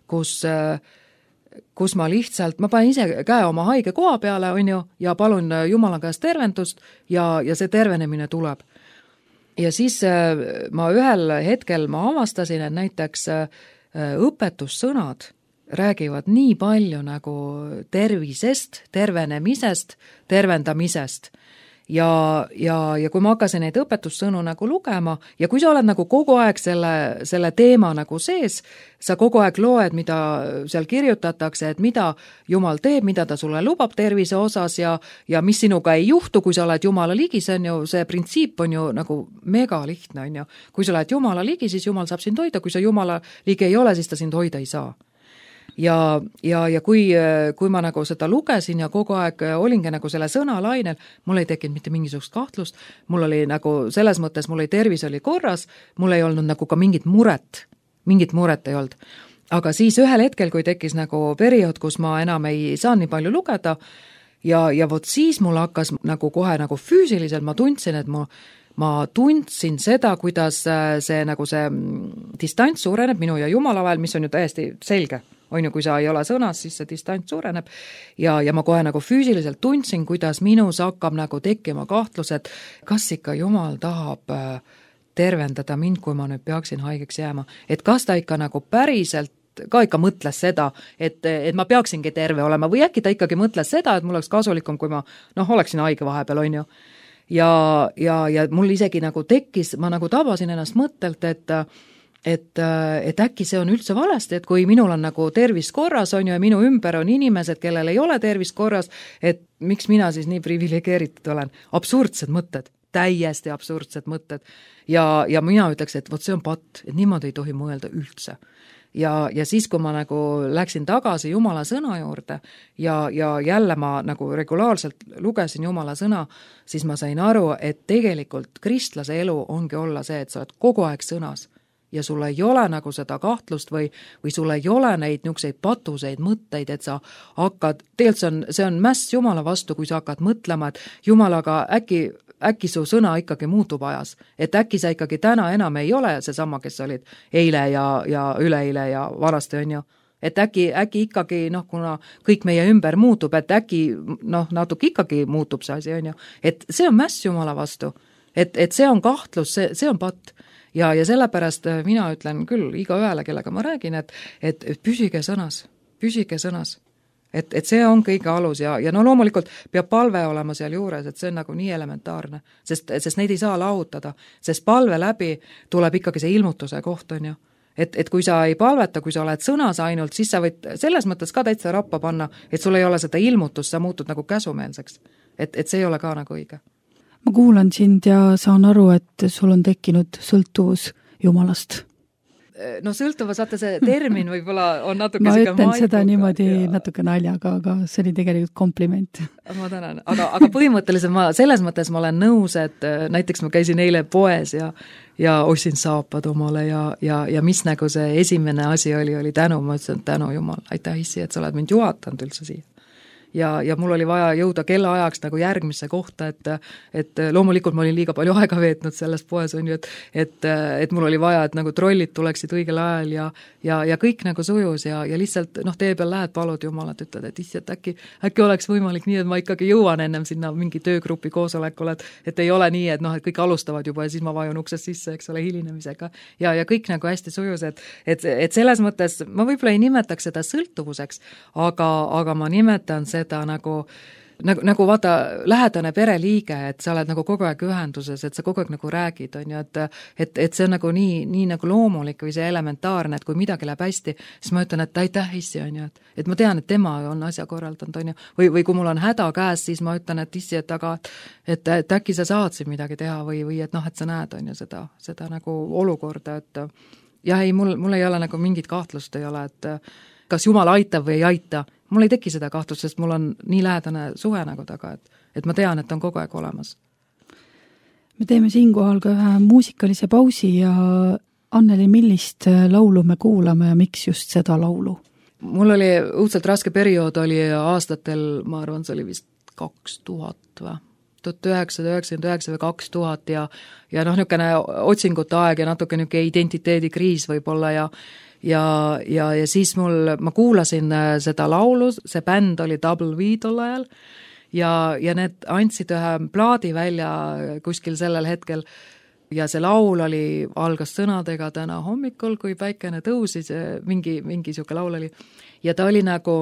kus kus ma lihtsalt, ma panen ise käe oma haige koha peale, on ju, ja palun Jumala käest tervendust ja, ja see tervenemine tuleb. Ja siis ma ühel hetkel ma avastasin, et näiteks õpetussõnad räägivad nii palju nagu tervisest, tervenemisest, tervendamisest. Ja, ja, ja kui ma hakkasin neid õpetussõnu nagu lugema ja kui sa oled nagu kogu aeg selle, selle teema nagu sees, sa kogu aeg loed, mida seal kirjutatakse, et mida Jumal teeb, mida ta sulle lubab tervise osas ja, ja mis sinuga ei juhtu, kui sa oled Jumala ligi, see on ju, see printsiip on ju nagu mega lihtne, on ju. Kui sa oled Jumala ligi, siis Jumal saab sind hoida, kui sa Jumala ligi ei ole, siis ta sind hoida ei saa. Ja, ja, ja kui, kui ma nagu seda lugesin ja kogu aeg olingi nagu selle sõna lainel, mul ei tekkinud mitte mingisugust kahtlust, mul oli nagu selles mõttes, mul oli tervis oli korras, mul ei olnud nagu ka mingit muret, mingit muret ei olnud. Aga siis ühel hetkel, kui tekkis nagu periood, kus ma enam ei saa nii palju lugeda ja, ja vot siis mul hakkas nagu kohe nagu füüsiliselt, ma tundsin, et mu ma tundsin seda, kuidas see nagu see distants suureneb minu ja Jumala vahel, mis on ju täiesti selge. On ju, kui sa ei ole sõnas, siis see distants suureneb ja, ja ma kohe nagu füüsiliselt tundsin, kuidas minus hakkab nagu tekkima kahtlus, et kas ikka Jumal tahab tervendada mind, kui ma nüüd peaksin haigeks jääma. Et kas ta ikka nagu päriselt ka ikka mõtles seda, et, et ma peaksingi terve olema või äkki ta ikkagi mõtles seda, et mul oleks kasulikum, kui ma noh, oleksin haige vahepeal, on ju. Ja, ja, ja mul isegi nagu tekkis, ma nagu tabasin ennast mõttelt, et Et, et äkki see on üldse valesti, et kui minul on nagu tervis korras, on ju, ja minu ümber on inimesed, kellel ei ole tervis korras, et miks mina siis nii privilegeeritud olen. Absurdsed mõtted, täiesti absurdsed mõtted. Ja, ja mina ütleks, et vot see on patt, et niimoodi ei tohi mõelda üldse. Ja, ja siis, kui ma nagu läksin tagasi Jumala sõna juurde ja, ja jälle ma nagu regulaarselt lugesin Jumala sõna, siis ma sain aru, et tegelikult kristlase elu ongi olla see, et sa oled kogu aeg sõnas. Ja sul ei ole nagu seda kahtlust või, või sul ei ole neid niisuguseid patuseid mõtteid, et sa hakkad, tegelikult see on, see on mäss Jumala vastu, kui sa hakkad mõtlema, et Jumalaga äkki, äkki su sõna ikkagi muutub ajas, et äkki sa ikkagi täna enam ei ole seesama, kes olid eile ja, ja üleeile ja varasti on ju, et äkki, äkki ikkagi, noh, kuna kõik meie ümber muutub, et äkki, noh, natuke ikkagi muutub see asi, on ju, et see on mäss Jumala vastu, et, et see on kahtlus, see, see on patt. Ja, ja sellepärast mina ütlen küll iga ühele, kellega ma räägin, et, et, et püsige sõnas, püsige sõnas. Et, et see on kõige alus ja, ja no loomulikult peab palve olema seal juures, et see on nagu nii elementaarne, sest, sest neid ei saa lahutada, sest palve läbi tuleb ikkagi see ilmutuse koht, on ju. Et, et kui sa ei palveta, kui sa oled sõnas ainult, siis sa võid selles mõttes ka täitsa rappa panna, et sul ei ole seda ilmutust, sa muutud nagu käsumeelseks. Et, et see ei ole ka nagu õige. Ma kuulan sind ja saan aru, et sul on tekkinud sõltuvus Jumalast. No sõltuvus, vaata see termin võib-olla on natuke ma ütlen maikuga. Seda niimoodi ja. Natuke naljaga, aga see oli tegelikult kompliment. Ma tänan, aga, aga põhimõtteliselt ma, selles mõttes ma olen nõus, et näiteks ma käisin eile poes ja, ja ostsin saapad omale ja, ja, ja mis nagu see esimene asi oli, oli tänu, ma ütlesin tänu Jumal, aitäh issi, et sa oled mind juhatanud üldse siia. Ja, ja mul oli vaja jõuda kellaajaks nagu järgmisse kohta, et, et loomulikult ma olin liiga palju aega veetnud selles poes, on ju, et, et, et mul oli vaja, et nagu trollid tuleksid õigel ajal ja, ja, ja kõik nagu sujus ja, ja lihtsalt noh, tee peal lähed, palud Jumalat, ütled, et issi, et äkki, äkki oleks võimalik nii, et ma ikkagi jõuan ennem sinna mingi töögrupi koosolekule, et, et ei ole nii, et noh, et kõik alustavad juba ja siis ma vajun uksest sisse, eks ole, hilinemisega ja, ja kõik nagu hästi sujus, et, et, et selles mõttes ma võib-olla ei nimetaks seda sõltuvuseks, aga, aga ma nimetan seda seda nagu, nagu, nagu vaata lähedane pereliige, et sa oled nagu kogu aeg ühenduses, et sa kogu aeg nagu räägid, on ju, et, et, et see on nagu nii, nii nagu loomulik või see elementaarne, et kui midagi läheb hästi, siis ma ütlen, et aitäh issi, on ju, et, et ma tean, et tema on asja korraldanud, on ju, või, või kui mul on häda käes, siis ma ütlen, et issi, et aga, et, et äkki sa saad siin midagi teha või, või et noh, et sa näed, on ju, seda, seda nagu olukorda, et jah, ei, mul, mul ei ole nagu mingit kahtlust ei ole, et kas Jumal aitab või ei aita, mul ei teki seda kahtlust, sest mul on nii lähedane suhe nagu taga, et, et ma tean, et on kogu aeg olemas. Me teeme siinkohal ka ühe muusikalise pausi ja Anneli, millist laulu me kuulame ja miks just seda laulu? Mul oli õudselt raske periood, oli aastatel, ma arvan, see oli vist kaks tuhat või? tuhat üheksasada üheksakümmend üheksa või kaks tuhat ja, ja noh, niisugune otsingute aeg ja natuke niisugune identiteedikriis võib-olla ja ja, ja, ja siis mul, ma kuulasin seda laulu, see bänd oli Double V tol ajal ja, ja need andsid ühe plaadi välja kuskil sellel hetkel ja see laul oli, algas sõnadega täna hommikul, kui päikene tõusis, mingi, mingi siuke laul oli. Ja ta oli nagu,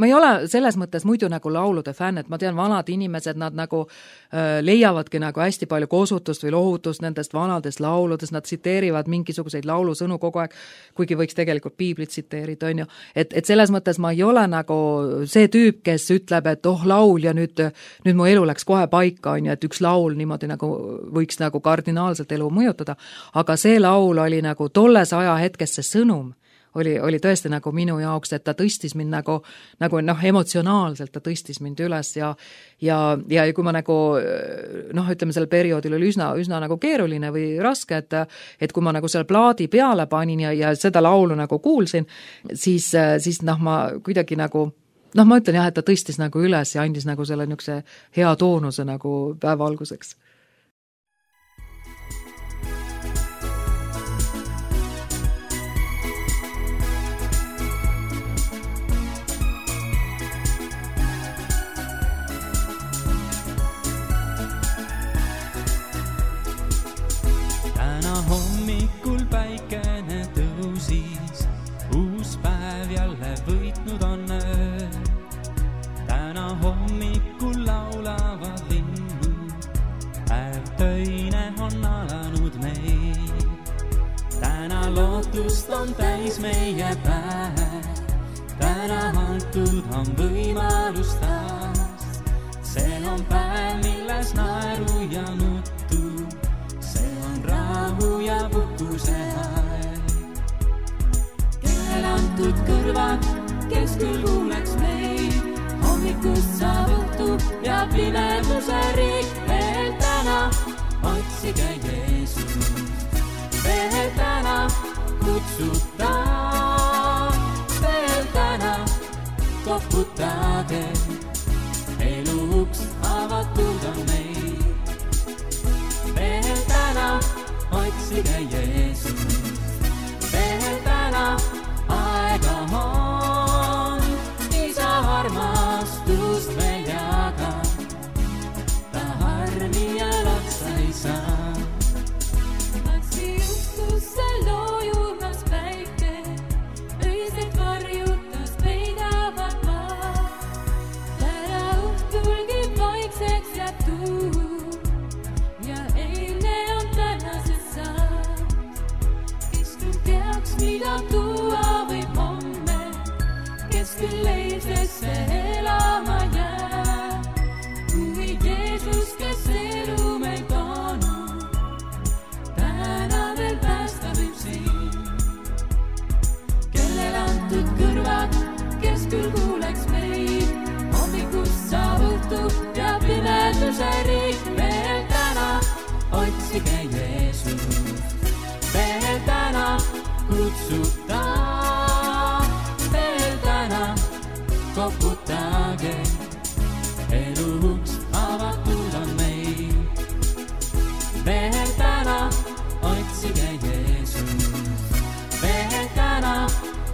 ma ei ole selles mõttes muidu nagu laulude fänn, et ma tean, vanad inimesed, nad nagu äh, leiavadki nagu hästi palju kosutust või lohutust nendest vanadest lauludest, nad tsiteerivad mingisuguseid laulusõnu kogu aeg, kuigi võiks tegelikult piiblit tsiteerida, on ju. Et, et selles mõttes ma ei ole nagu see tüüp, kes ütleb, et oh, laul ja nüüd, nüüd mu elu läks kohe paika, on ju, et üks laul niimoodi nagu võiks nagu kardinaalselt elu mõjutada, aga see laul oli nagu tolles aja hetkes see sõnum, oli, oli tõesti nagu minu jaoks, et ta tõstis mind nagu, nagu noh, emotsionaalselt ta tõstis mind üles ja, ja, ja kui ma nagu noh, ütleme, sellel perioodil oli üsna, üsna nagu keeruline või raske, et, et kui ma nagu selle plaadi peale panin ja, ja seda laulu nagu kuulsin, siis, siis noh, ma kuidagi nagu noh, ma ütlen jah, et ta tõstis nagu üles ja andis nagu selle niisuguse hea toonuse nagu päeva alguseks. Hommikul päikene tõusis, uus päev jälle võitnud on öö. Täna hommikul laulavad linnud, päev töine on alanud meil. Täna lootust on täis meie päev, täna antud on võimalus taas. See on päev, milles naeru ja nuttu, rahu ja puhkuse aeg. Kellel antud kõrvad, kes küll kuuleks meid, hommikust saab õhtu ja pimeduse riik. Veel täna otsige Jeesust, veel täna kutsuta, veel täna koputage, elu uks avatud on meil. Veel täna otsige Jeesust, veel täna aega on, isa armastust veel jaga, ta harmi ja otsa ei saa. Läksi juhtusse loojurnas päike, öiselt varjutust peidavad maa. Täna õhtulgi vaikseks jääb tuu ja eilne on tänases saad. Kes küll teaks, mida tuua võib homme, kes küll eilsesse elama jää. Kuid Jeesus, kes elu meil toonud, täna veel päästa võib siin. Kellel antud kõrvad, kes küll kuuleks meid, hommikust saab õhtu ja pimeduse riik. Veel täna otsige Jeesust, veel täna kutsuta, veel täna koputage, elu uks avatud on meil. Veel täna otsige Jeesust, veel täna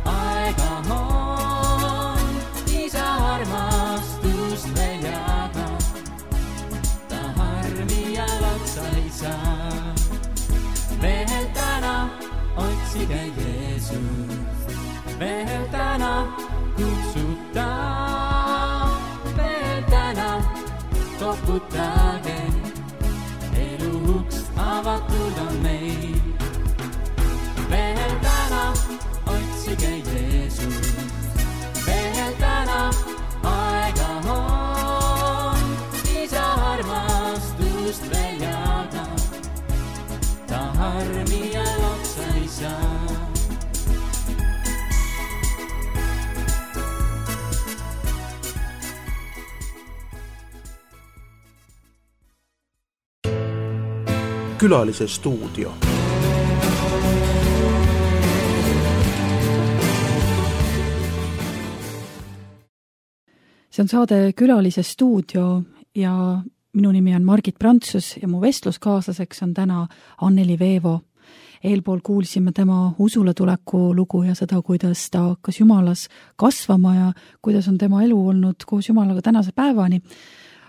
aega on, isa armastust veel jaga, ta harmi ja otsa ei saa. Veel täna otsige Jeesust, veel täna kutsuta, veel täna koputage, elu uks avatud on meil. Veel täna otsige Jeesust, veel täna aega on, isa armastust veel jaga, ta harmi ja otsa ei saa. Külalise stuudio. See on saade Külalise stuudio ja minu nimi on Margit Prantsus ja mu vestluskaaslaseks on täna Anneli Veevo. Eelpool kuulsime tema usule tuleku lugu ja seda, kuidas ta hakkas Jumalas kasvama ja kuidas on tema elu olnud koos Jumalaga tänase päevani.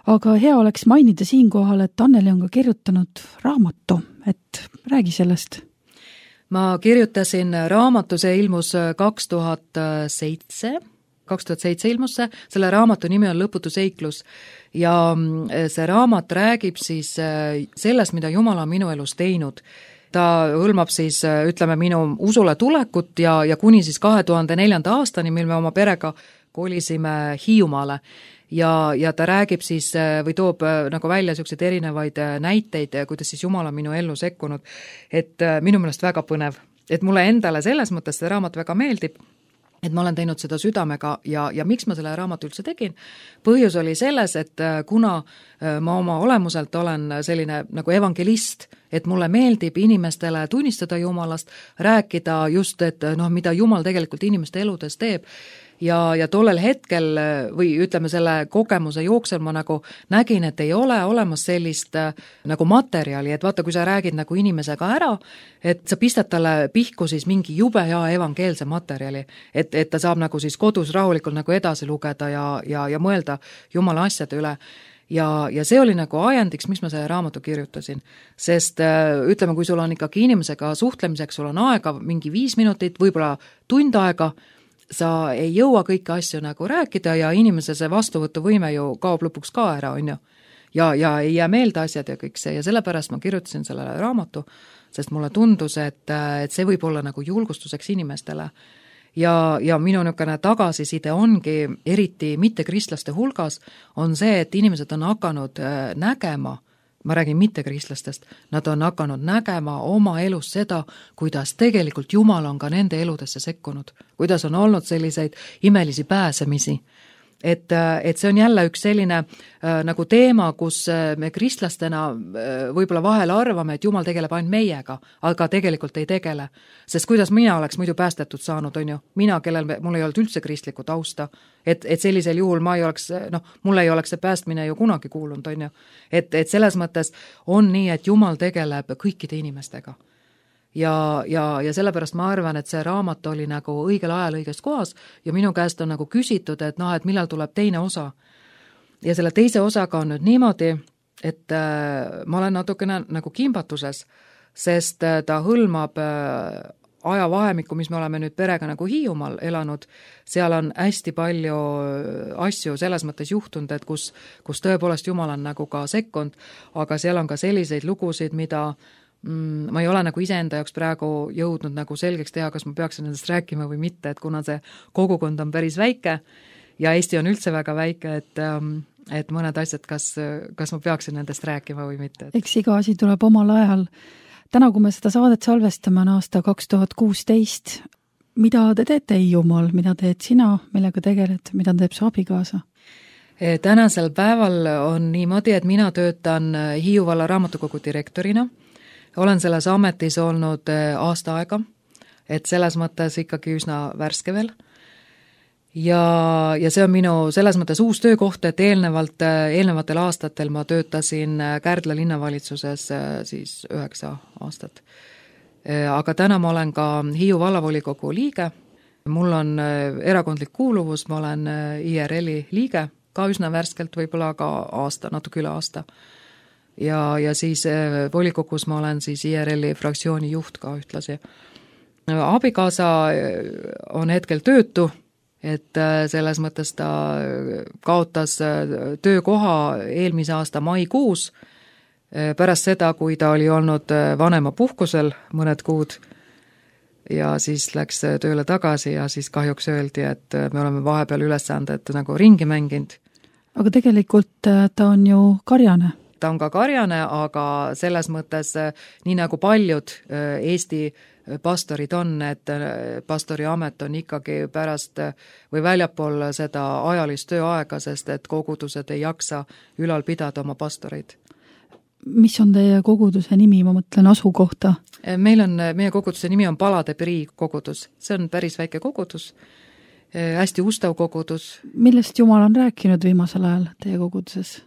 Aga hea oleks mainida siinkohal, et Anneli on ka kirjutanud raamatu, et räägi sellest. Ma kirjutasin raamatu, see ilmus kaks tuhat seitse, kaks tuhat seitse ilmus see, selle raamatu nimi on Lõputu seiklus ja see raamat räägib siis sellest, mida Jumal on minu elus teinud. Ta hõlmab siis, ütleme, minu usule tulekut ja, ja kuni siis kahe tuhande neljanda aastani, mil me oma perega kolisime Hiiumaale. Ja, ja ta räägib siis või toob nagu välja selliseid erinevaid näiteid, kuidas siis Jumal on minu ellu sekkunud. Et minu meelest väga põnev. Et mulle endale selles mõttes see raamat väga meeldib, et ma olen teinud seda südamega ja, ja miks ma selle raamatu üldse tegin? Põhjus oli selles, et kuna ma oma olemuselt olen selline nagu evangelist, et mulle meeldib inimestele tunnistada Jumalast, rääkida just, et noh, mida Jumal tegelikult inimeste eludes teeb. Ja, ja tollel hetkel või ütleme selle kogemuse jooksel ma nagu nägin, et ei ole olemas sellist nagu materjali, et vaata, kui sa räägid nagu inimesega ära, et sa pistad talle pihku siis mingi jube ja evangeelse materjali, et, et ta saab nagu siis kodus rahulikult nagu edasi lugeda ja, ja, ja mõelda Jumala asjade üle. Ja, ja see oli nagu ajendiks, miks ma selle raamatu kirjutasin. Sest ütleme, kui sul on ikkagi inimesega suhtlemiseks, sul on aega mingi viis minutit, võib-olla tund aega, sa ei jõua kõiki asju nagu rääkida ja inimese see vastuvõtuvõime ju kaob lõpuks ka ära, on ju. Ja, ja ei jää meelde asjad ja kõik see ja sellepärast ma kirjutasin sellele raamatu, sest mulle tundus, et, et see võib olla nagu julgustuseks inimestele. Ja, ja minu niisugune tagasiside ongi eriti mittekristlaste hulgas, on see, et inimesed on hakanud nägema, ma räägin mittekristlastest, nad on hakanud nägema oma elus seda, kuidas tegelikult Jumal on ka nende eludesse sekkunud, kuidas on olnud selliseid imelisi pääsemisi. Et, et see on jälle üks selline äh, nagu teema, kus me kristlastena äh, võib-olla vahel arvame, et Jumal tegeleb ainult meiega, aga tegelikult ei tegele. Sest kuidas mina oleks muidu päästetud saanud, on ju, mina, kellel me, mul ei olnud üldse kristlikku tausta, et, et sellisel juhul ma ei oleks, noh, mul ei oleks see päästmine ju kunagi kuulunud, on ju. Et, et selles mõttes on nii, et Jumal tegeleb kõikide inimestega. Ja, ja, ja sellepärast ma arvan, et see raamat oli nagu õigel ajal õiges kohas ja minu käest on nagu küsitud, et noh, et millal tuleb teine osa. Ja selle teise osaga on nüüd niimoodi, et äh, ma olen natukene nagu kimbatuses, sest äh, ta hõlmab äh, ajavahemikku, mis me oleme nüüd perega nagu Hiiumaal elanud, seal on hästi palju asju selles mõttes juhtunud, et kus, kus tõepoolest Jumal on nagu ka sekkunud, aga seal on ka selliseid lugusid, mida ma ei ole nagu iseenda jaoks praegu jõudnud nagu selgeks teha, kas ma peaksin nendest rääkima või mitte, et kuna see kogukond on päris väike ja Eesti on üldse väga väike, et, et mõned asjad, kas, kas ma peaksin nendest rääkima või mitte. Eks iga asi tuleb omal ajal. Täna, kui me seda saadet salvestame, on aasta kaks tuhat kuusteist. Mida te teete Hiiumaal, mida teed sina, millega tegeled, mida teeb su abikaasa? Tänasel päeval on niimoodi, et mina töötan Hiiu valla raamatukogu direktorina. Olen selles ametis olnud aasta aega, et selles mõttes ikkagi üsna värske veel. Ja, ja see on minu selles mõttes uus töökoht, et eelnevalt, eelnevatel aastatel ma töötasin Kärdla linnavalitsuses siis üheksa aastat. Aga täna ma olen ka Hiiu vallavolikogu liige. Mul on erakondlik kuuluvus, ma olen I R L-i liige, ka üsna värskelt, võib-olla ka aasta, natuke üle aasta. Ja, ja siis volikogus ma olen siis I R L-i fraktsiooni juht ka ühtlasi. Abikaasa on hetkel töötu, et selles mõttes ta kaotas töökoha eelmise aasta maikuus, pärast seda, kui ta oli olnud vanema puhkusel mõned kuud ja siis läks tööle tagasi ja siis kahjuks öeldi, et me oleme vahepeal ülesanded nagu ringi mänginud. Aga tegelikult ta on ju karjane. Ta on ka karjane, aga selles mõttes nii nagu paljud Eesti pastorid on, et pastori amet on ikkagi pärast või väljapool seda ajalist tööaega, sest et kogudused ei jaksa ülal pidada oma pastoreid. mis on teie koguduse nimi, ma mõtlen asukohta? Meil on, meie koguduse nimi on Palade Prii kogudus. See on päris väike kogudus, hästi ustav kogudus. Millest Jumal on rääkinud viimasel ajal teie koguduses?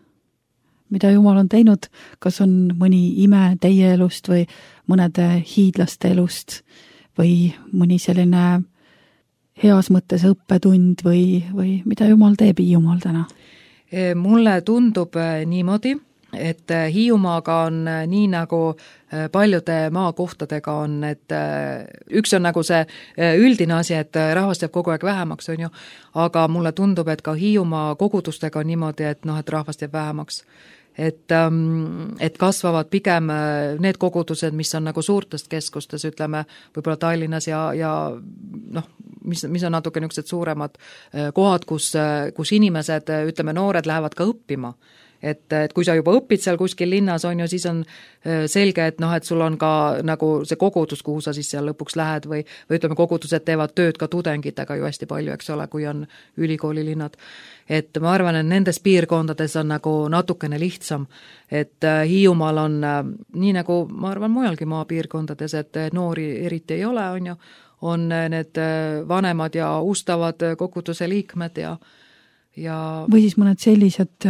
Mida Jumal on teinud? Kas on mõni ime teie elust või mõnede hiidlaste elust või mõni selline heas mõttes õppetund või, või mida Jumal teeb Hiiumaal täna? Mulle tundub niimoodi, et Hiiumaaga on nii nagu paljude maakohtadega on, et üks on nagu see üldine asi, et rahvast jääb kogu aeg vähemaks, on ju, aga mulle tundub, et ka Hiiumaa kogudustega on niimoodi, et noh, et rahvast jääb vähemaks. Et, et kasvavad pigem need kogudused, mis on nagu suurtest keskustes, ütleme, võib-olla Tallinnas ja, ja noh, mis, mis on natuke niisugused suuremad kohad, kus, kus inimesed, ütleme, noored lähevad ka õppima. Et, et kui sa juba õpid seal kuskil linnas, on ju, siis on selge, et noh, et sul on ka nagu see kogudus, kuhu sa siis seal lõpuks lähed või, või ütleme, kogudused teevad tööd ka tudengitega ju hästi palju, eks ole, kui on ülikoolilinnad. Et ma arvan, et nendes piirkondades on nagu natukene lihtsam, et Hiiumaal on nii nagu, ma arvan, mujalgi maapiirkondades, et noori eriti ei ole, on ju, on need vanemad ja ustavad koguduse liikmed ja Ja... või siis mõned sellised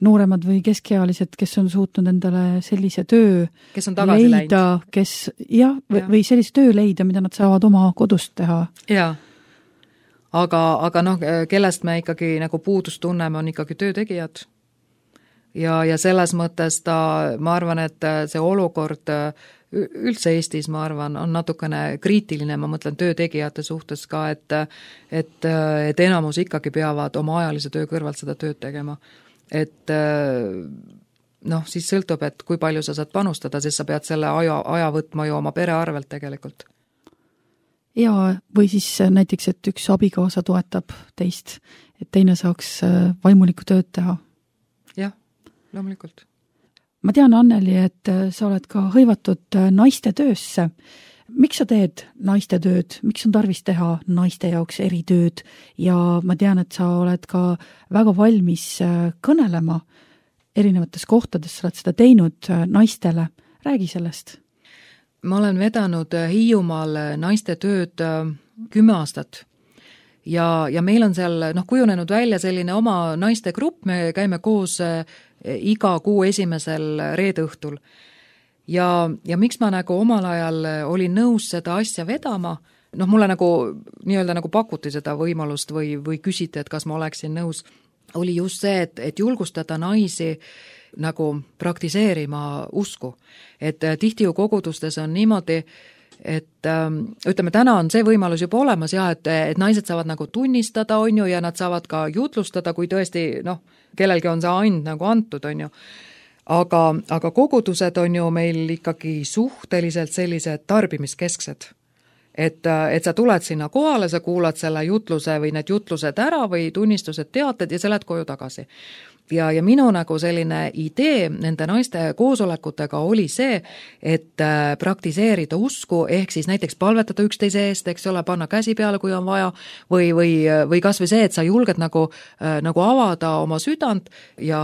nooremad või keskealised, kes on suutnud endale sellise töö kes on tagasi leida, kes jah, või, ja. või sellise töö leida, mida nad saavad oma kodust teha. Jaa, aga, aga noh, kellest me ikkagi nagu puudust tunneme, on ikkagi töötegijad. Ja, ja selles mõttes ta, ma arvan, et see olukord üldse Eestis, ma arvan, on natukene kriitiline, ma mõtlen töötegijate suhtes ka, et, et, et enamus ikkagi peavad oma ajalise töö kõrvalt seda tööd tegema. Et noh, siis sõltub, et kui palju sa saad panustada, siis sa pead selle aja, aja võtma ju oma pere arvelt tegelikult. Ja, või siis näiteks, et üks abikaasa toetab teist, et teine saaks vaimulikku tööd teha. Jah, loomulikult. Ma tean, Anneli, et sa oled ka hõivatud naiste töösse. Miks sa teed naiste tööd? Miks on tarvis teha naiste jaoks eri tööd? Ja ma tean, et sa oled ka väga valmis kõnelema erinevates kohtades, sa oled seda teinud naistele. Räägi sellest. Ma olen vedanud Hiiumaal naiste tööd kümme aastat. Ja, ja meil on seal noh, kujunenud välja selline oma naiste grupp, me käime koos iga kuu esimesel reedõhtul. Ja, ja miks ma nagu omal ajal olin nõus seda asja vedama, noh mulle nagu nii-öelda nagu pakuti seda võimalust või, või küsiti, et kas ma oleksin nõus, oli just see, et, et julgustada naisi nagu praktiseerima usku. Et tihti ju kogudustes on niimoodi, et ütleme, täna on see võimalus juba olemas ja et, et naised saavad nagu tunnistada, on ju, ja nad saavad ka jutlustada, kui tõesti, noh, kellelgi on see and nagu antud, on ju. Aga, aga kogudused on ju meil ikkagi suhteliselt sellised tarbimiskesksed. Et, et sa tuled sinna kohale, sa kuulad selle jutluse või need jutlused ära või tunnistused teated ja sa lähed koju tagasi. Ja, ja minu nagu selline idee nende naiste koosolekutega oli see, et praktiseerida usku, ehk siis näiteks palvetada üksteise eest, eks ole, panna käsi peale, kui on vaja, või, või, või kas või see, et sa julged nagu, nagu avada oma südant ja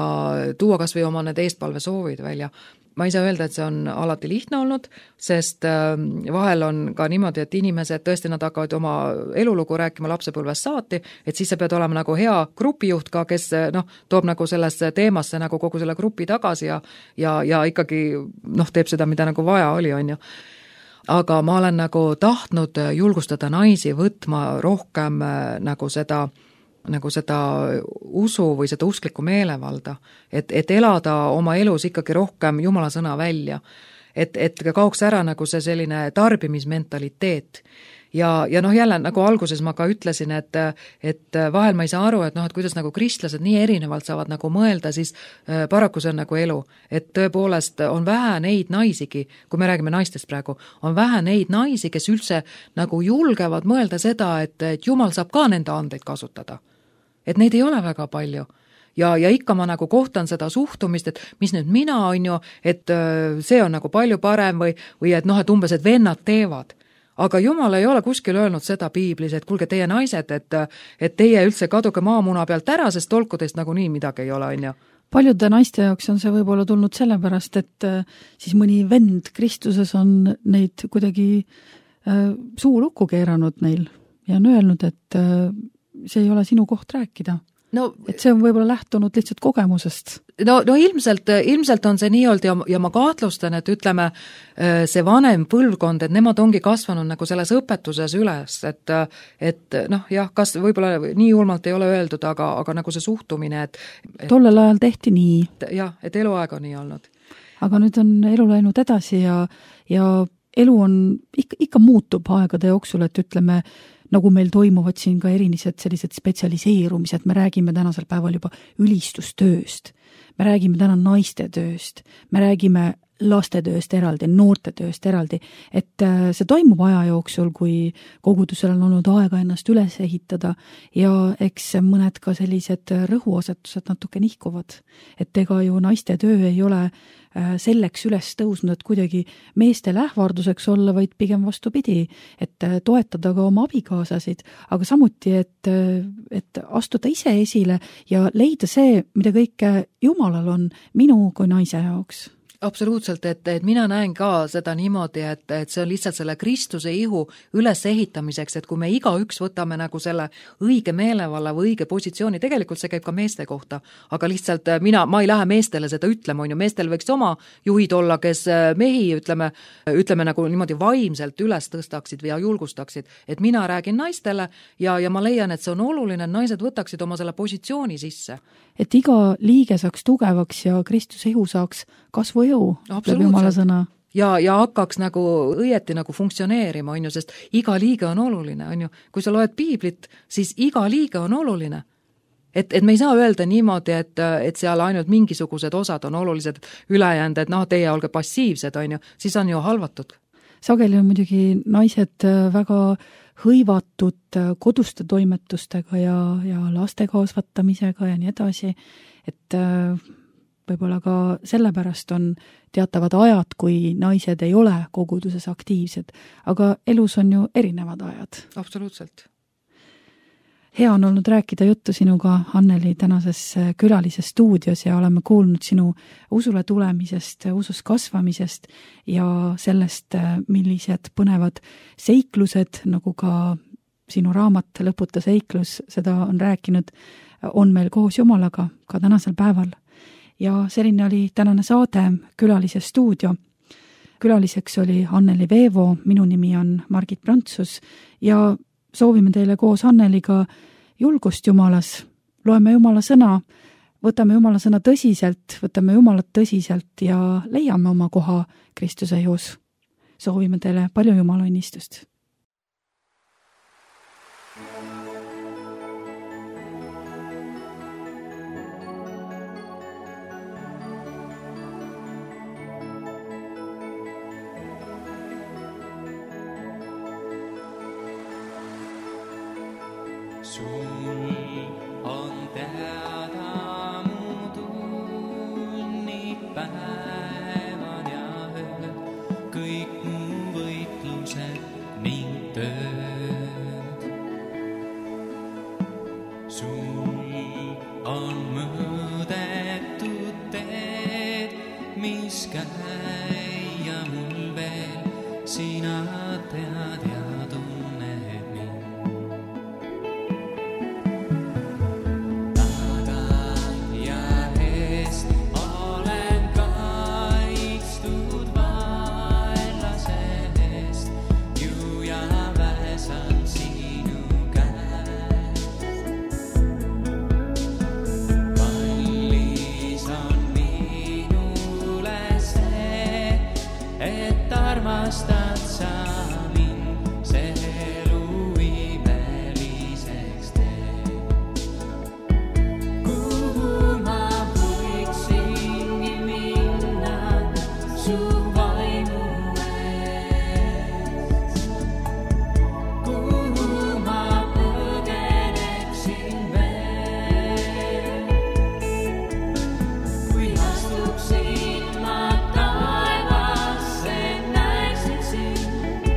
tuua kas või oma need eestpalve soovid välja. Ma ei saa öelda, et see on alati lihtne olnud, sest vahel on ka niimoodi, et inimesed tõesti nad hakkavad oma elulugu rääkima lapsepõlvest saati, et siis sa pead olema nagu hea grupijuht ka, kes noh, toob nagu sellesse teemasse nagu kogu selle grupi tagasi ja, ja, ja ikkagi noh, teeb seda, mida nagu vaja oli, on ju. Aga ma olen nagu tahtnud julgustada naisi võtma rohkem nagu seda nagu seda usu või seda usklikku meelevalda, et, et elada oma elus ikkagi rohkem Jumala sõna välja, et, et kaoks ära nagu see selline tarbimismentaliteet. Ja, ja noh, jälle nagu alguses ma ka ütlesin, et, et vahel ma ei saa aru, et noh, et kuidas nagu kristlased nii erinevalt saavad nagu mõelda, siis paraku see on nagu elu. Et tõepoolest on vähe neid naisigi, kui me räägime naistest praegu, on vähe neid naisi, kes üldse nagu julgevad mõelda seda, et, et Jumal saab ka nende andeid kasutada. Et neid ei ole väga palju. Ja, ja ikka ma nagu kohtan seda suhtumist, et mis nüüd mina on ju, et see on nagu palju parem või, või et noh, et umbes, et vennad teevad. Aga Jumal ei ole kuskil öelnud seda piiblis, et kuulge teie naised, et, et teie üldse kaduge maamuna pealt ära, sest tolkudest nagu nii midagi ei ole, on ju. paljude naiste jaoks on see võib-olla tulnud sellepärast, et siis mõni vend Kristuses on neid kuidagi suu lukku keeranud neil ja on öelnud, et see ei ole sinu koht rääkida. No, et see on võib-olla lähtunud lihtsalt kogemusest. No, no ilmselt, ilmselt on see nii olnud ja, ja ma kahtlustan, et ütleme, see vanem põlvkond, et nemad ongi kasvanud nagu selles õpetuses üles, et, et noh, jah, kas võib-olla nii julmalt ei ole öeldud, aga, aga nagu see suhtumine, et, et tollel ajal tehti nii. Jah, et eluaeg on nii olnud. Aga nüüd on elu läinud edasi ja, ja elu on, ikka, ikka muutub aegade jooksul, et ütleme, nagu meil toimuvad siin ka erilised sellised spetsialiseerumised, me räägime tänasel päeval juba ülistustööst, me räägime täna naiste tööst, me räägime lastetööst eraldi, noortetööst eraldi, et see toimub aja jooksul, kui kogudusel on olnud aega ennast üles ehitada ja eks mõned ka sellised rõhuasetused natuke nihkuvad, et ega ju naiste töö ei ole selleks üles tõusnud, et kuidagi meestele ähvarduseks olla, vaid pigem vastupidi, et toetada ka oma abikaasasid, aga samuti, et, et astuda ise esile ja leida see, mida kõike Jumalal on minu kui naise jaoks. Absoluutselt, et, et mina näen ka seda niimoodi, et, et see on lihtsalt selle Kristuse ihu üles ehitamiseks, et kui me igaüks võtame nagu selle õige meelevalla või õige positsiooni, tegelikult see käib ka meeste kohta, aga lihtsalt mina, ma ei lähe meestele seda ütlema, on ju, meestel võiks oma juhid olla, kes mehi, ütleme, ütleme nagu niimoodi vaimselt üles tõstaksid ja julgustaksid, et mina räägin naistele ja, ja ma leian, et see on oluline, et naised võtaksid oma selle positsiooni sisse. Et iga liige saaks tugevaks ja Kristuse ihu saaks kasvu jõu, ütleb Jumala sõna. Ja, ja hakkaks nagu õieti nagu funktsioneerima, on ju, sest iga liige on oluline, on ju. Kui sa loed piiblit, siis iga liige on oluline. Et, et me ei saa öelda niimoodi, et, et seal ainult mingisugused osad on olulised ülejäänud, et noh, teie olge passiivsed, on ju, siis on ju halvatud. Sageli on muidugi naised väga hõivatud koduste toimetustega ja, ja laste kasvatamisega ja nii edasi, et võib-olla ka sellepärast on teatavad ajad, kui naised ei ole koguduses aktiivsed, aga elus on ju erinevad ajad. Absoluutselt. Hea on olnud rääkida juttu sinuga, Anneli, tänases külalises stuudios ja oleme kuulnud sinu usule tulemisest, usus kasvamisest ja sellest, millised põnevad seiklused, nagu ka sinu raamat Lõputa seiklus, seda on rääkinud, on meil koos Jumalaga ka tänasel päeval. Ja selline oli tänane saade Külalises stuudio. Külaliseks oli Anneli Veevo, minu nimi on Margit Prantsus ja soovime teile koos Anneliga julgust Jumalas, loeme Jumala sõna, võtame Jumala sõna tõsiselt, võtame Jumalat tõsiselt ja leiame oma koha Kristuse ihus. Soovime teile palju Jumala õnnistust. Sul on teada mu tunnid, päevad ja ööd, kõik mu võitlused ning tööd. Sul on mõõdetud teed, mis käia mul veel, sina tead ja tunned mind. Armastad sa mind, see elu imeliseks teeb. Kuhu ma võiksingi minna su vaimu eest? Kuhu ma põgeneksin veel? Kui astuksin ma taevasse, näeksin sind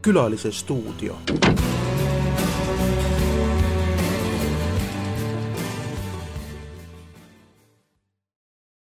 Külalise stuudio.